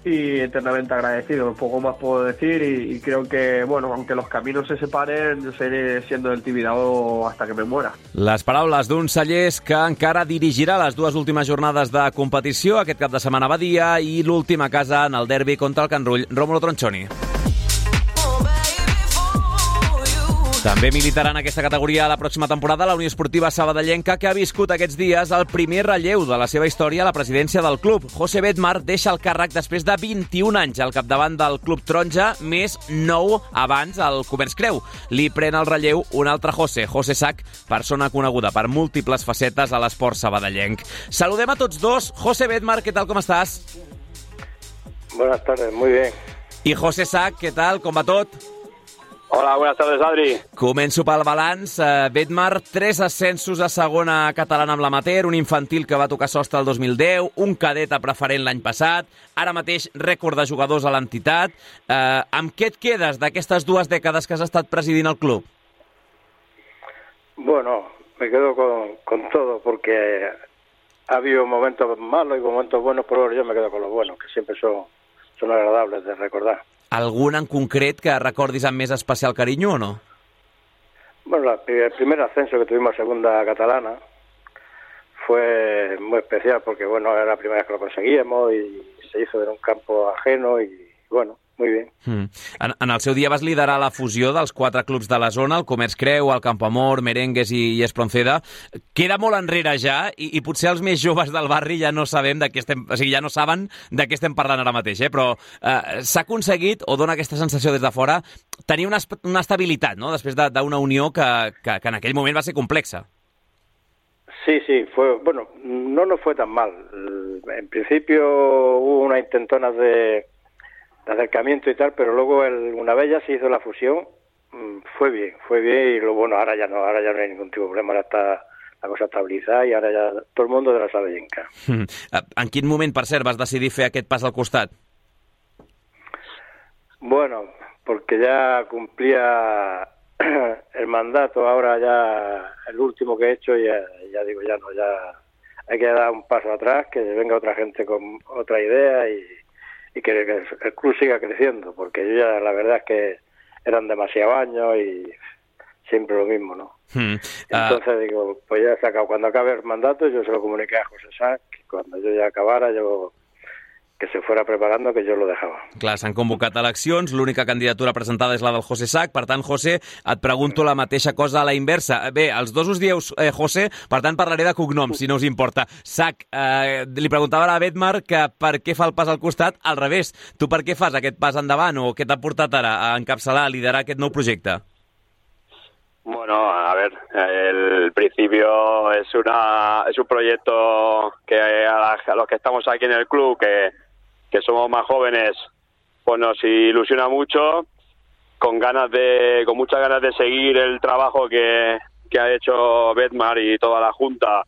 y eternamente agradecido, poco más puedo decir y, y creo que, bueno, aunque los caminos se separen, yo seguiré siendo del Tibidabo hasta que me muera. Les paraules d'un Sallés que encara dirigirà les dues últimes jornades de competició, aquest cap de setmana a Badia i l'última casa en el derbi contra el Can Rull Rómulo Tronchoni. També militarà en aquesta categoria la pròxima temporada la Unió Esportiva Sabadellenca, que ha viscut aquests dies el primer relleu de la seva història a la presidència del club. José Bedmar deixa el càrrec després de vint-i-un anys al capdavant del Club Taronja, més nou abans al Comerç Creu. Li pren el relleu un altre José, José Sac, persona coneguda per múltiples facetes a l'esport sabadellenc. Saludem a tots dos. José Bedmar, què tal, com estàs? Buenas tardes, muy bien. I José Sac, què tal, com va tot? Hola, buenas tardes, Adri. Començo pel balanç. Uh, Bedmar, tres ascensos a segona catalana amb l'amater, un infantil que va tocar sostre el dos mil deu, un cadet a preferent l'any passat, ara mateix rècord de jugadors a l'entitat. Uh, amb què et quedes d'aquestes dues dècades que has estat presidint el club? Bueno, me quedo con, con todo, porque ha habido momentos malos y momentos buenos, pero yo me quedo con los buenos, que siempre son, son agradables de recordar. Algun en concret que recordis amb més especial carinyo o no? Bueno, la, el primer ascenso que tuvimos a segunda catalana fue muy especial porque, bueno, era la primera vez que lo conseguíamos y se hizo en un campo ajeno y, bueno, muy bien. Mm. En, en el seu dia vas liderar la fusió dels quatre clubs de la zona, el Comerç Creu, el Campoamor, Merengues i, i Espronceda. Queda molt enrere ja i, i potser els més joves del barri ja no sabem de què estem, o sigui, ja no saben de què estem parlant ara mateix, eh? Però eh, s'ha aconseguit, o dona aquesta sensació des de fora, tenir una, una estabilitat, no?, després d'una unió que, que, que en aquell moment va ser complexa. Sí, sí, fue, bueno, no nos fue tan mal. En principio hubo unas intentonas de de acercamiento y tal, pero luego el, una vez ya se hizo la fusión, fue bien, fue bien y lo bueno, ahora ya no, ahora ya no hay ningún tipo de problema, ahora está la cosa estabilitzada i ara ja tot el món de la Sabadellenca. Mm. En quin moment, per cert, vas decidir fer aquest pas al costat? Bueno, porque ya cumplía el mandato, ahora ya el último que he hecho, ya, ya digo, ya no, ya hay que dar un paso atrás, que venga otra gente con otra idea y, y que el club siga creciendo, porque yo ya la verdad es que eran demasiados años y siempre lo mismo, ¿no? Hmm. Uh... Entonces digo, pues ya he sacado, cuando acabe el mandato yo se lo comuniqué a José Sac, que cuando yo ya acabara yo que se fuera preparando, que yo lo dejava. Clar, s'han convocat eleccions, l'única candidatura presentada és la del José Sac, per tant, José, et pregunto la mateixa cosa a la inversa. Bé, els dos us dieu eh, José, per tant parlaré de cognoms, si no us importa. Sac, eh, li preguntava a la Bedmar que per què fa el pas al costat, al revés. Tu per què fas aquest pas endavant o què t'ha portat ara a encapçalar, a liderar aquest nou projecte? Bueno, a ver, el principio es una es un proyecto que a, la, a los que estamos aquí en el club, que que somos más jóvenes, pues nos ilusiona mucho, con ganas de, con muchas ganas de seguir el trabajo que, que ha hecho Bedmar y toda la Junta,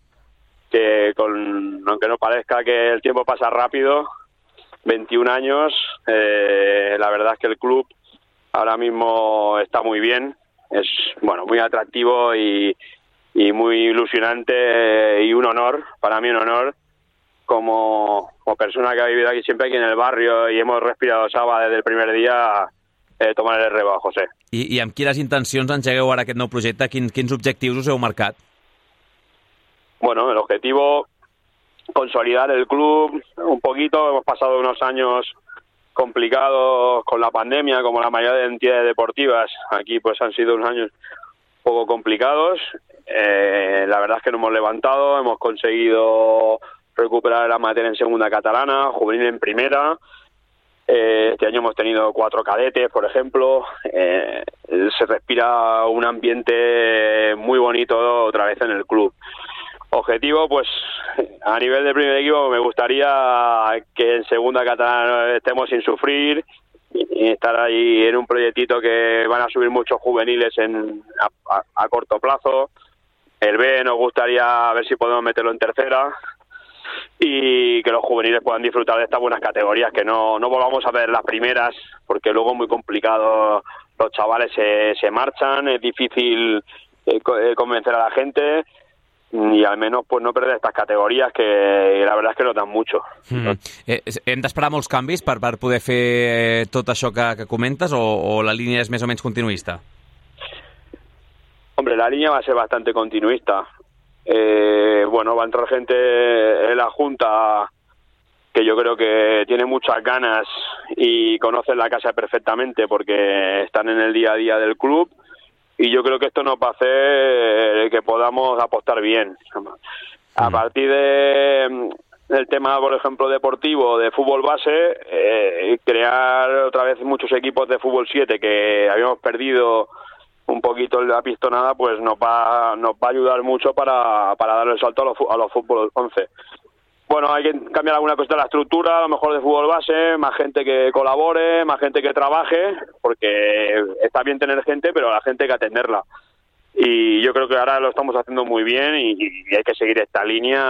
que con, aunque no parezca que el tiempo pasa rápido, veintiún años, eh, la verdad es que el club ahora mismo está muy bien, es bueno muy atractivo y, y muy ilusionante eh, y un honor, para mí un honor, Como, como persona que ha vivido aquí siempre aquí en el barrio y hemos respirado Saba desde el primer día, eh, tomar el relevo a José. I, I amb quines intencions engegueu ara aquest nou projecte? Quins, quins objectius us heu marcat? Bueno, el objetivo, consolidar el club un poquito. Hemos pasado unos años complicados con la pandemia, como la mayoría de entidades deportivas. Aquí pues han sido unos años un poco complicados. Eh, la verdad es que nos hemos levantado, hemos conseguido recuperar la materia en segunda catalana, juvenil en primera. Eh, este año hemos tenido cuatro cadetes, por ejemplo. Eh, se respira un ambiente muy bonito otra vez en el club. Objetivo, pues a nivel de primer equipo me gustaría que en segunda catalana estemos sin sufrir y estar ahí en un proyectito que van a subir muchos juveniles en, a, a, a corto plazo. El B nos gustaría ver si podemos meterlo en tercera y que los juveniles puedan disfrutar de estas buenas categorías, que no, no volvamos a ver las primeras, porque luego es muy complicado, los chavales se, se marchan, es difícil eh, convencer a la gente y al menos pues no perder estas categorías que la verdad es que no dan mucho. Mm. Eh, hem d'esperar molts canvis per, per poder fer eh, tot això que, que comentes o, o la línia és més o menys continuista? Hombre, la línea va a ser bastante continuista. Eh, bueno, va a entrar gente en la Junta que yo creo que tiene muchas ganas y conocen la casa perfectamente porque están en el día a día del club y yo creo que esto nos va a hacer que podamos apostar bien. A partir de del tema, por ejemplo, deportivo, de fútbol base, eh, crear otra vez muchos equipos de fútbol siete que habíamos perdido un poquito la pistonada, pues nos va nos va a ayudar mucho para, para darle el salto a los, a los fútbol once. Bueno, hay que cambiar alguna cosa de la estructura, a lo mejor de fútbol base, más gente que colabore, más gente que trabaje, porque está bien tener gente, pero la gente hay que atenderla. Y yo creo que ahora lo estamos haciendo muy bien y, y hay que seguir esta línia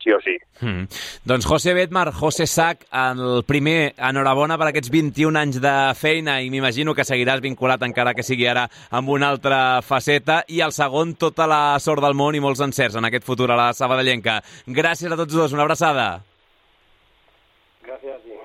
sí o sí. Mm. Doncs José Bedmar, José Sac, el primer, enhorabona per aquests vint-i-un anys de feina i m'imagino que seguiràs vinculat encara que sigui ara amb una altra faceta, i el segon, tota la sort del món i molts encerts en aquest futur a la Sabadellenca. Gràcies a tots dos, una abraçada. Gràcies a ti.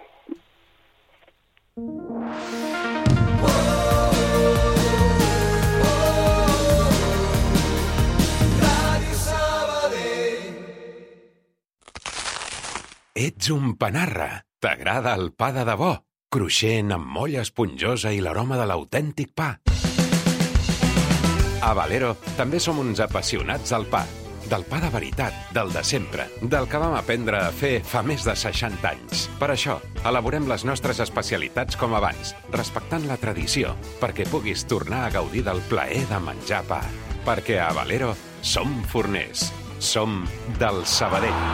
Ets un panarra. T'agrada el pa de debò, cruixent amb molla esponjosa i l'aroma de l'autèntic pa. A Valero també som uns apassionats del pa. Del pa de veritat, del de sempre, del que vam aprendre a fer fa més de seixanta anys. Per això, elaborem les nostres especialitats com abans, respectant la tradició, perquè puguis tornar a gaudir del plaer de menjar pa. Perquè a Valero som forners. Som del Sabadell.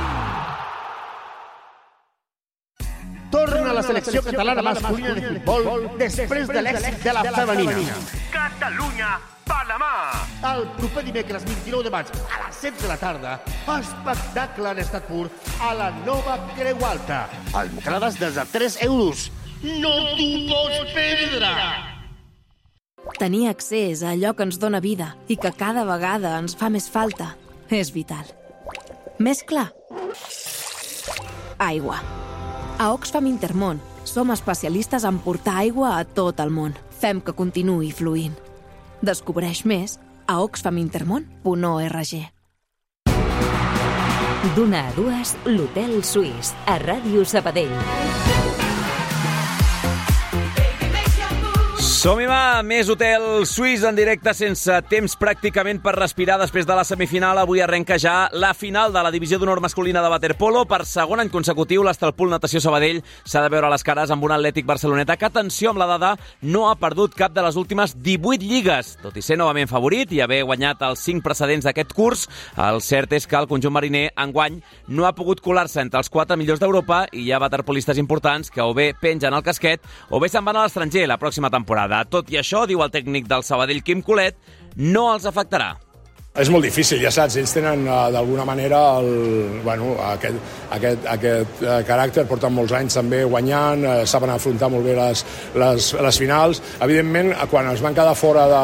Torna a la selecció selecció catalana masculina de futbol després de l'èxit de la femenina. Catalunya, Panamà. El proper dimecres vint-i-nou de maig a les set de la tarda, espectacle en estat pur a la nova Creu Alta. Entrades des de tres euros. No t'ho pots perdre! Tenir accés a allò que ens dóna vida i que cada vegada ens fa més falta és vital. Més clar? Aigua. A Oxfam Intermón som especialistes en portar aigua a tot el món. Fem que continuï fluint. Descobreix més a oxfam intermón punt org. D'una a dues, l'Hotel Suís, a Ràdio Sabadell. Som-hi, va! Més Hotel Suís en directe sense temps pràcticament per respirar després de la semifinal. Avui arrenca ja la final de la divisió d'honor masculina de waterpolo. Per segon any consecutiu, l'Estalpul Natació Sabadell s'ha de veure les cares amb un Atlètic Barceloneta que, atenció amb la dada, no ha perdut cap de les últimes divuit lligues. Tot i ser novament favorit i haver guanyat els cinc precedents d'aquest curs, el cert és que el conjunt mariner enguany no ha pogut colar-se entre els quatre millors d'Europa i hi ha waterpolistes importants que o bé pengen el casquet o bé se'n van a l'estranger la pròxima temporada. Tot i això, diu el tècnic del Sabadell, Quim Colet, no els afectarà. És molt difícil, ja saps, ells tenen uh, d'alguna manera el, bueno, aquest, aquest, aquest uh, caràcter, porten molts anys també guanyant, uh, saben afrontar molt bé les, les, les finals. Evidentment, quan es van quedar fora de,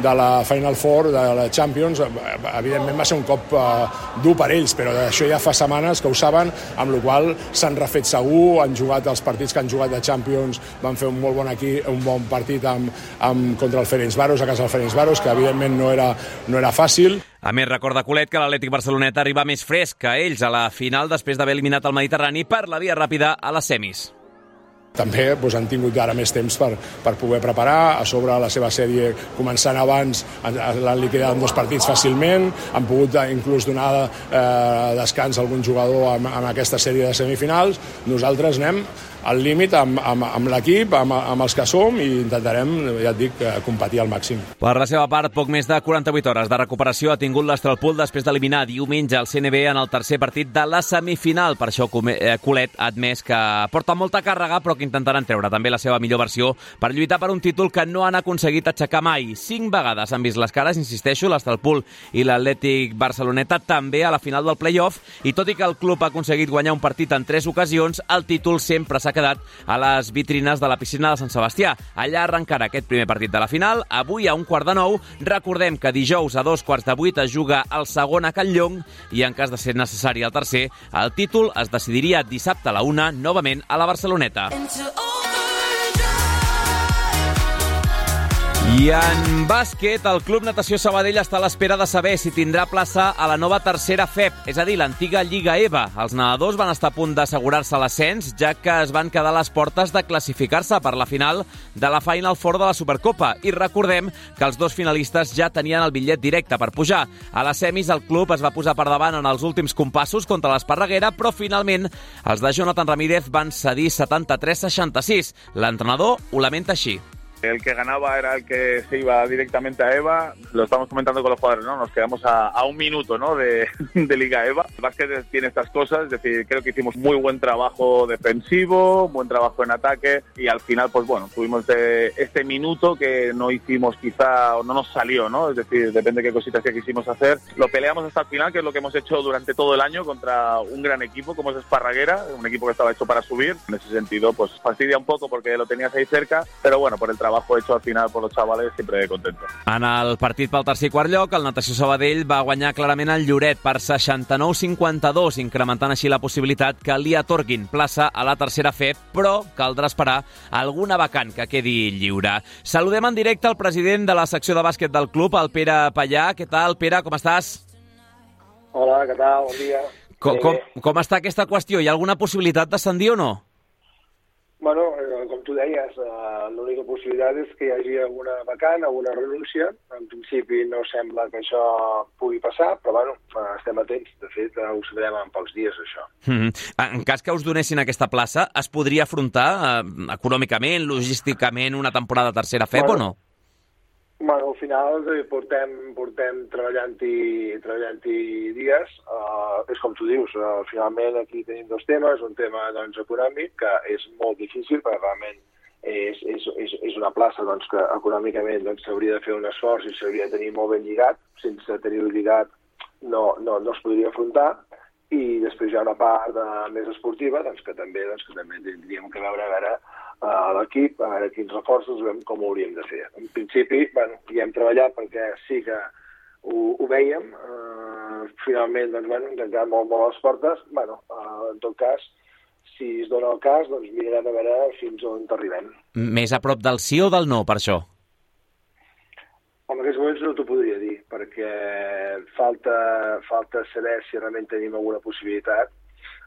de la Final Four, de la Champions, evidentment va ser un cop uh, dur per ells, però això ja fa setmanes que ho saben, amb la qual s'han refet segur, han jugat els partits que han jugat de Champions, van fer un molt bon, aquí, un bon partit amb, amb, contra el Ferencváros, a casa del Ferencváros, que evidentment no era, no era fàcil. A més, recorda Colet que l'Atlètic Barceloneta arriba més fresc que ells a la final després d'haver eliminat el Mediterrani per la via ràpida a les semis. També doncs, han tingut ara més temps per, per poder preparar, a sobre la seva sèrie començant abans, l'han liquidat en dos partits fàcilment, han pogut inclús donar eh, descans a algun jugador en, en aquesta sèrie de semifinals. Nosaltres anem al límit amb, amb, amb l'equip, amb, amb els que som, i intentarem, ja et dic, competir al màxim. Per la seva part, poc més de quaranta-vuit hores de recuperació ha tingut l'Estralpul després d'eliminar diumenge el C N B en el tercer partit de la semifinal. Per això Colet ha admès que porta molta càrrega, però que intentaran treure també la seva millor versió per lluitar per un títol que no han aconseguit aixecar mai. Cinc vegades han vist les cares, insisteixo, l'Estralpul i l'Atlètic Barceloneta també a la final del play-off, i tot i que el club ha aconseguit guanyar un partit en tres ocasions, el títol sempre s'ha quedat a les vitrines de la piscina de Sant Sebastià. Allà arrencarà aquest primer partit de la final, avui a un quart de nou. Recordem que dijous a dos quarts de vuit es juga el segon a Can Llong i, en cas de ser necessari el tercer, el títol es decidiria dissabte a la una, novament a la Barceloneta. I en bàsquet, el Club Natació Sabadell està a l'espera de saber si tindrà plaça a la nova tercera F E P, és a dir, l'antiga Lliga E V A. Els nedadors van estar a punt d'assegurar-se l'ascens, ja que es van quedar a les portes de classificar-se per la final de la Final Four de la Supercopa. I recordem que els dos finalistes ja tenien el bitllet directe per pujar. A les semis, el club es va posar per davant en els últims compassos contra l'Esparreguera, però finalment els de Jonathan Ramírez van cedir setanta-tres a seixanta-sis. L'entrenador ho lamenta així. El que ganaba era el que se iba directamente a E V A. Lo estamos comentando con los jugadores, ¿no? Nos quedamos a, a un minuto, ¿no? de, de Liga E V A. El básquet tiene estas cosas, es decir, creo que hicimos muy buen trabajo defensivo, buen trabajo en ataque, y al final, pues bueno, tuvimos de este minuto que no hicimos quizá, o no nos salió, ¿no? Es decir, depende de qué cositas que quisimos hacer. Lo peleamos hasta el final, que es lo que hemos hecho durante todo el año contra un gran equipo como es Esparraguera, un equipo que estaba hecho para subir. En ese sentido, pues fastidia un poco porque lo tenías ahí cerca, pero bueno, por el trabajo hecho al final por los chavales, siempre contento. En el partit pel tercer i quart lloc, el Natació Sabadell va guanyar clarament el Lloret per seixanta-nou a cinquanta-dos, incrementant així la possibilitat que li atorguin plaça a la tercera F E P, però caldrà esperar alguna vacant que quedi lliure. Saludem en directe el president de la secció de bàsquet del club, el Pere Pallà. Què tal, Pere? Com estàs? Hola, què tal? Bon dia. Com, com, com està aquesta qüestió? Hi ha alguna possibilitat d'ascendir o no? Bueno, com tu deies, l'única possibilitat és que hi hagi alguna vacant, alguna renúncia. En principi no sembla que això pugui passar, però bueno, estem atents. De fet, ho sabrem en pocs dies, això. Mm-hmm. En cas que us donessin aquesta plaça, es podria afrontar eh, econòmicament, logísticament, una temporada tercera F E P, bueno, o no? Bueno, al final eh, portem, portem treballant-hi treballant-hi dies. Uh, és com tu dius, uh, finalment aquí tenim dos temes. Un tema doncs, econòmic, que és molt difícil, perquè realment és, és, és, és una plaça doncs, que econòmicament doncs, s'hauria de fer un esforç i s'hauria de tenir molt ben lligat. Sense tenir-ho lligat no, no, no es podria afrontar. I després hi ha una part de, més esportiva doncs, que també doncs, que també tindríem que veure a veure a l'equip, a veure quins reforços, veure com ho hauríem de fer. En principi, bueno, hi hem treballat perquè sí que ho, ho vèiem. Uh, finalment, doncs, bueno, ens han quedat molt, molt a les portes. Bueno, uh, en tot cas, si es dona el cas, doncs mirarem a veure fins on arribem. Més a prop del sí o del no, per això? En aquests moments no t'ho podria dir, perquè falta, falta saber si realment tenim alguna possibilitat.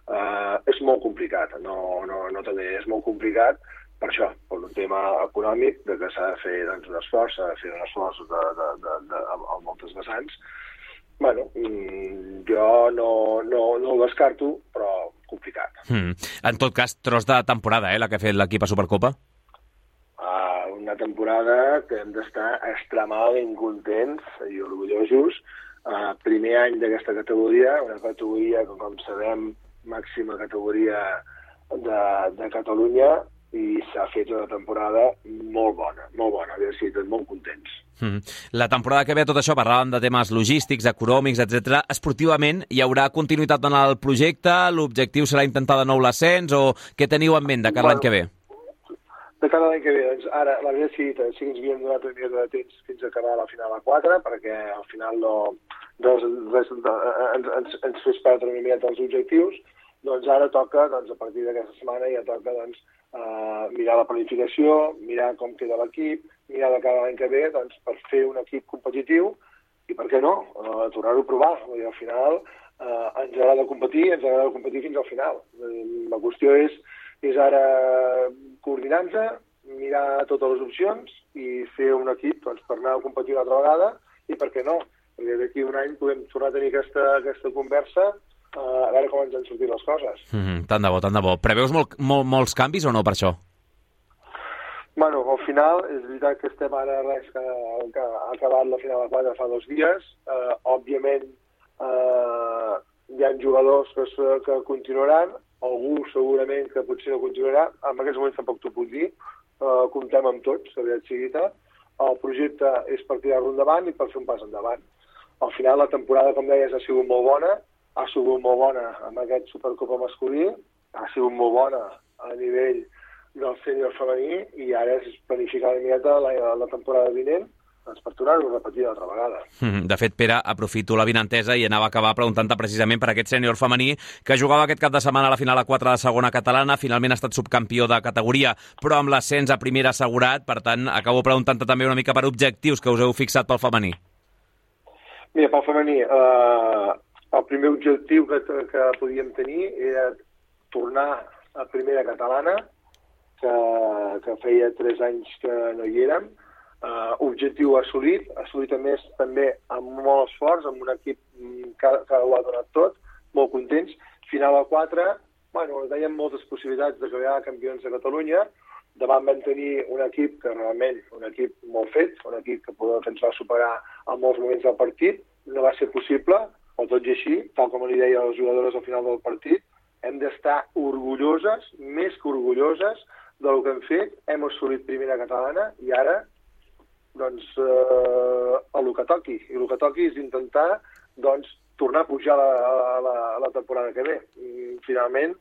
Uh, és molt complicat, no, no, no també és molt complicat, per això, per un tema econòmic, de que s'ha de fer doncs, un esforç, s'ha de fer un esforç de, de, de, de, a moltes vessants. Bueno, jo no, no, no ho descarto, però complicat. Mm. En tot cas, tros de temporada, eh, la que ha fet l'equip a Supercopa? Uh, una temporada que hem d'estar extremadament contents i orgullosos. Uh, primer any d'aquesta categoria, una categoria que, com sabem, màxima categoria de, de Catalunya, i s'ha fet una temporada molt bona, molt bona, havia sigut molt contents. Mm. La temporada que ve, tot això, parlàvem de temes logístics, econòmics, etcètera. Esportivament, hi haurà continuïtat en el projecte? L'objectiu serà intentar de nou l'ascens o què teniu en ment de cara a l'any que ve? De cara a l'any que ve, doncs ara l'havia decidit, sí que ens havíem donat una mica de temps fins a acabar la final a quatre, perquè al final no, res, res, ens, ens, ens fes perdre una mica els objectius. Doncs ara toca, doncs, a partir d'aquesta setmana ja toca doncs, uh, mirar la planificació, mirar com queda l'equip, mirar de cara a l'any que ve doncs, per fer un equip competitiu i, per què no, uh, tornar-ho a provar. I al final uh, ens agrada competir, ens agrada competir fins al final. Uh, la qüestió és, és ara coordinar-nos, mirar totes les opcions i fer un equip doncs, per anar a competir una altra vegada i, per què no, perquè d'aquí un any podem tornar a tenir aquesta, aquesta conversa a veure com ens han sortit les coses. Mm-hmm. Tant de bo, tant de bo. Preveus molt, molt, molts canvis o no per això? Bueno, al final, és veritat que estem ara res que, que ha acabat la final de quatre fa dos dies. Uh, òbviament, uh, hi ha jugadors que, que continuaran, algú segurament que potser no continuarà. En aquests moments tampoc t'ho puc dir. Uh, comptem amb tots, la veritat sigui dita. El projecte és per tirar-lo endavant i per fer un pas endavant. Al final, la temporada, com deies, ha sigut molt bona. Ha sigut molt bona amb aquest Supercopa masculí, ha sigut molt bona a nivell del sènior femení i ara és planificar una miqueta la, la temporada vinent doncs per tornar-ho a repetir altra vegada. De fet, Pere, aprofito la vinentesa i anava a acabar preguntant-te precisament per aquest sènior femení que jugava aquest cap de setmana a la final a quatre de segona catalana, finalment ha estat subcampió de categoria, però amb l'ascens a primera assegurat, per tant, acabo preguntant-te també una mica per objectius que us heu fixat pel femení. Mira, pel femení, eh... el primer objectiu que, que podíem tenir era tornar a primera catalana, que, que feia tres anys que no hi érem. Uh, objectiu assolit, assolit a més també amb molt esforç, amb un equip que, que ho ha donat tot, molt contents. Final a quatre, bueno, dèiem moltes possibilitats de quedar campions de Catalunya. Davant vam tenir un equip que realment, un equip molt fet, un equip que, que ens va superar en molts moments del partit. No va ser possible, o tot i així, tal com li deia a les jugadores al final del partit, hem d'estar orgulloses, més que orgulloses, del que hem fet. Hem assolit primera catalana i ara, doncs, eh, el que toqui. I el que toqui és intentar, doncs, tornar a pujar la, la, la temporada que ve. I, finalment,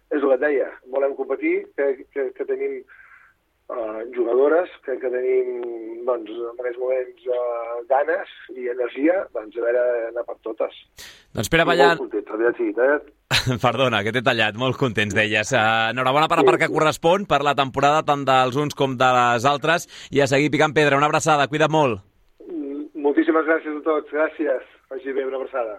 és el que et deia, volem competir, que, que, que tenim Uh, jugadores que, que tenim doncs, en aquests moments uh, ganes i energia, doncs a veure, anar per totes. Doncs Pere Ballant... Molt contents, havia dit, eh? Perdona, que t'he tallat, molt contents, deies. Uh, enhorabona per la part que correspon, per la temporada tant dels uns com de les altres, i a seguir picant pedra. Una abraçada, cuida't molt. Mm, moltíssimes gràcies a tots, gràcies. Vagi bé, una abraçada.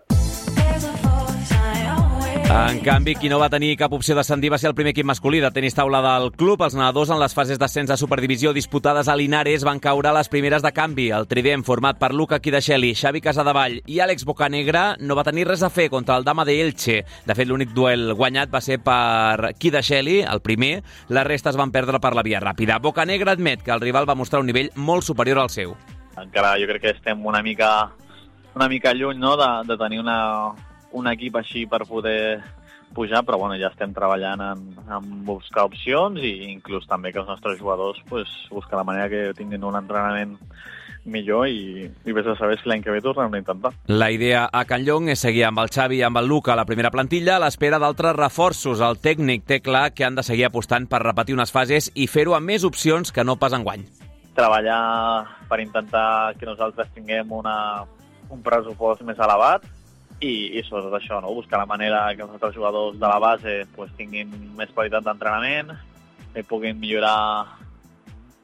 En canvi, qui no va tenir cap opció d'ascendir va ser el primer equip masculí de tenis taula del club. Els nedadors en les fases d'ascens a Superdivisió disputades a Linares van caure a les primeres de canvi. El trident format per Luca Quidacheli, Xavi Casadevall i Àlex Bocanegra no va tenir res a fer contra el Dama de Elche. De fet, l'únic duel guanyat va ser per Quidacheli, el primer. Les restes van perdre per la via ràpida. Bocanegra admet que el rival va mostrar un nivell molt superior al seu. Encara jo crec que estem una mica, una mica lluny, no?, de, de tenir una, un equip així per poder pujar, però bueno, ja estem treballant en, en buscar opcions i inclús també que els nostres jugadors pues, buscar la manera que tinguin un entrenament millor i, i vés a saber si l'any que ve tornem a intentar. La idea a Can Llong és seguir amb el Xavi i amb el Luca a la primera plantilla a l'espera d'altres reforços. El tècnic té clar que han de seguir apostant per repetir unes fases i fer-ho amb més opcions que no pas enguany. Treballar per intentar que nosaltres tinguem una, un pressupost més elevat i, i sobretot això, no? Buscar la manera que els altres jugadors de la base pues, tinguin més qualitat d'entrenament, que puguin millorar,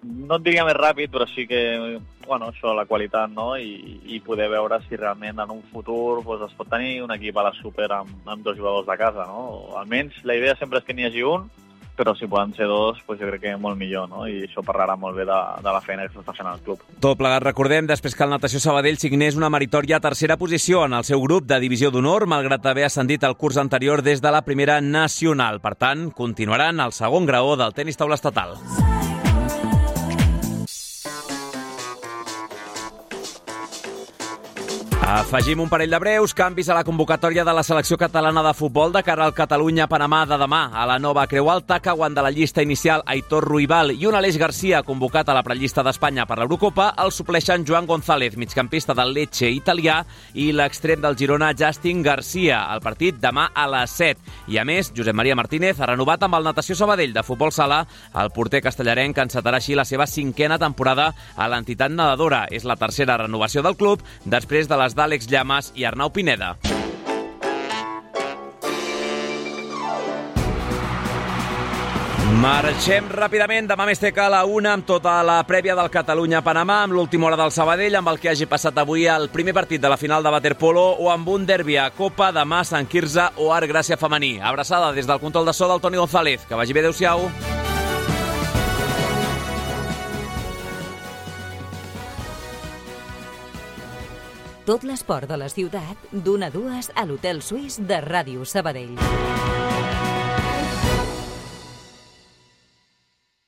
no et diria més ràpid, però sí que bueno, això, la qualitat, no? I, i poder veure si realment en un futur pues, es pot tenir un equip a la super amb, amb dos jugadors de casa, no? Almenys la idea sempre és que n'hi hagi un, però si poden ser dos, pues jo crec que molt millor, no? I això parlarà molt bé de, de la feina que s'està fent al club. Tot plegat, recordem, després que el Natació Sabadell signés una meritòria tercera posició en el seu grup de divisió d'honor, malgrat haver ascendit el curs anterior des de la primera nacional. Per tant, continuaran al segon graó del tenis taula estatal. Afegim un parell de breus canvis a la convocatòria de la selecció catalana de futbol de cara al Catalunya-Panamà de demà. A la nova Creu Alta cauen de la llista inicial Aitor Ruibal i un Aleix Garcia convocat a la prellista d'Espanya per l'Eurocopa. El supleixen Joan González, migcampista del Lecce italià, i l'extrem del Girona Justin Garcia. El partit demà a les set. I a més, Josep Maria Martínez ha renovat amb el Natació Sabadell de futbol sala. El porter castellarenc encetarà així la seva cinquena temporada a l'entitat nedadora. És la tercera renovació del club després de les d'Àlex Llamas i Arnau Pineda. Marxem ràpidament. Demà més teca a la una amb tota la prèvia del Catalunya-Panamà, amb l'última hora del Sabadell, amb el que hagi passat avui el primer partit de la final de waterpolo o amb un derbi a Copa demà a Sant Quirze o Art Gràcia femení. Abraçada des del control de so del Toni González. Que vagi bé, adéu-siau. Tot l'esport de la ciutat, d'una a dues a l'Hotel Suís de Ràdio Sabadell.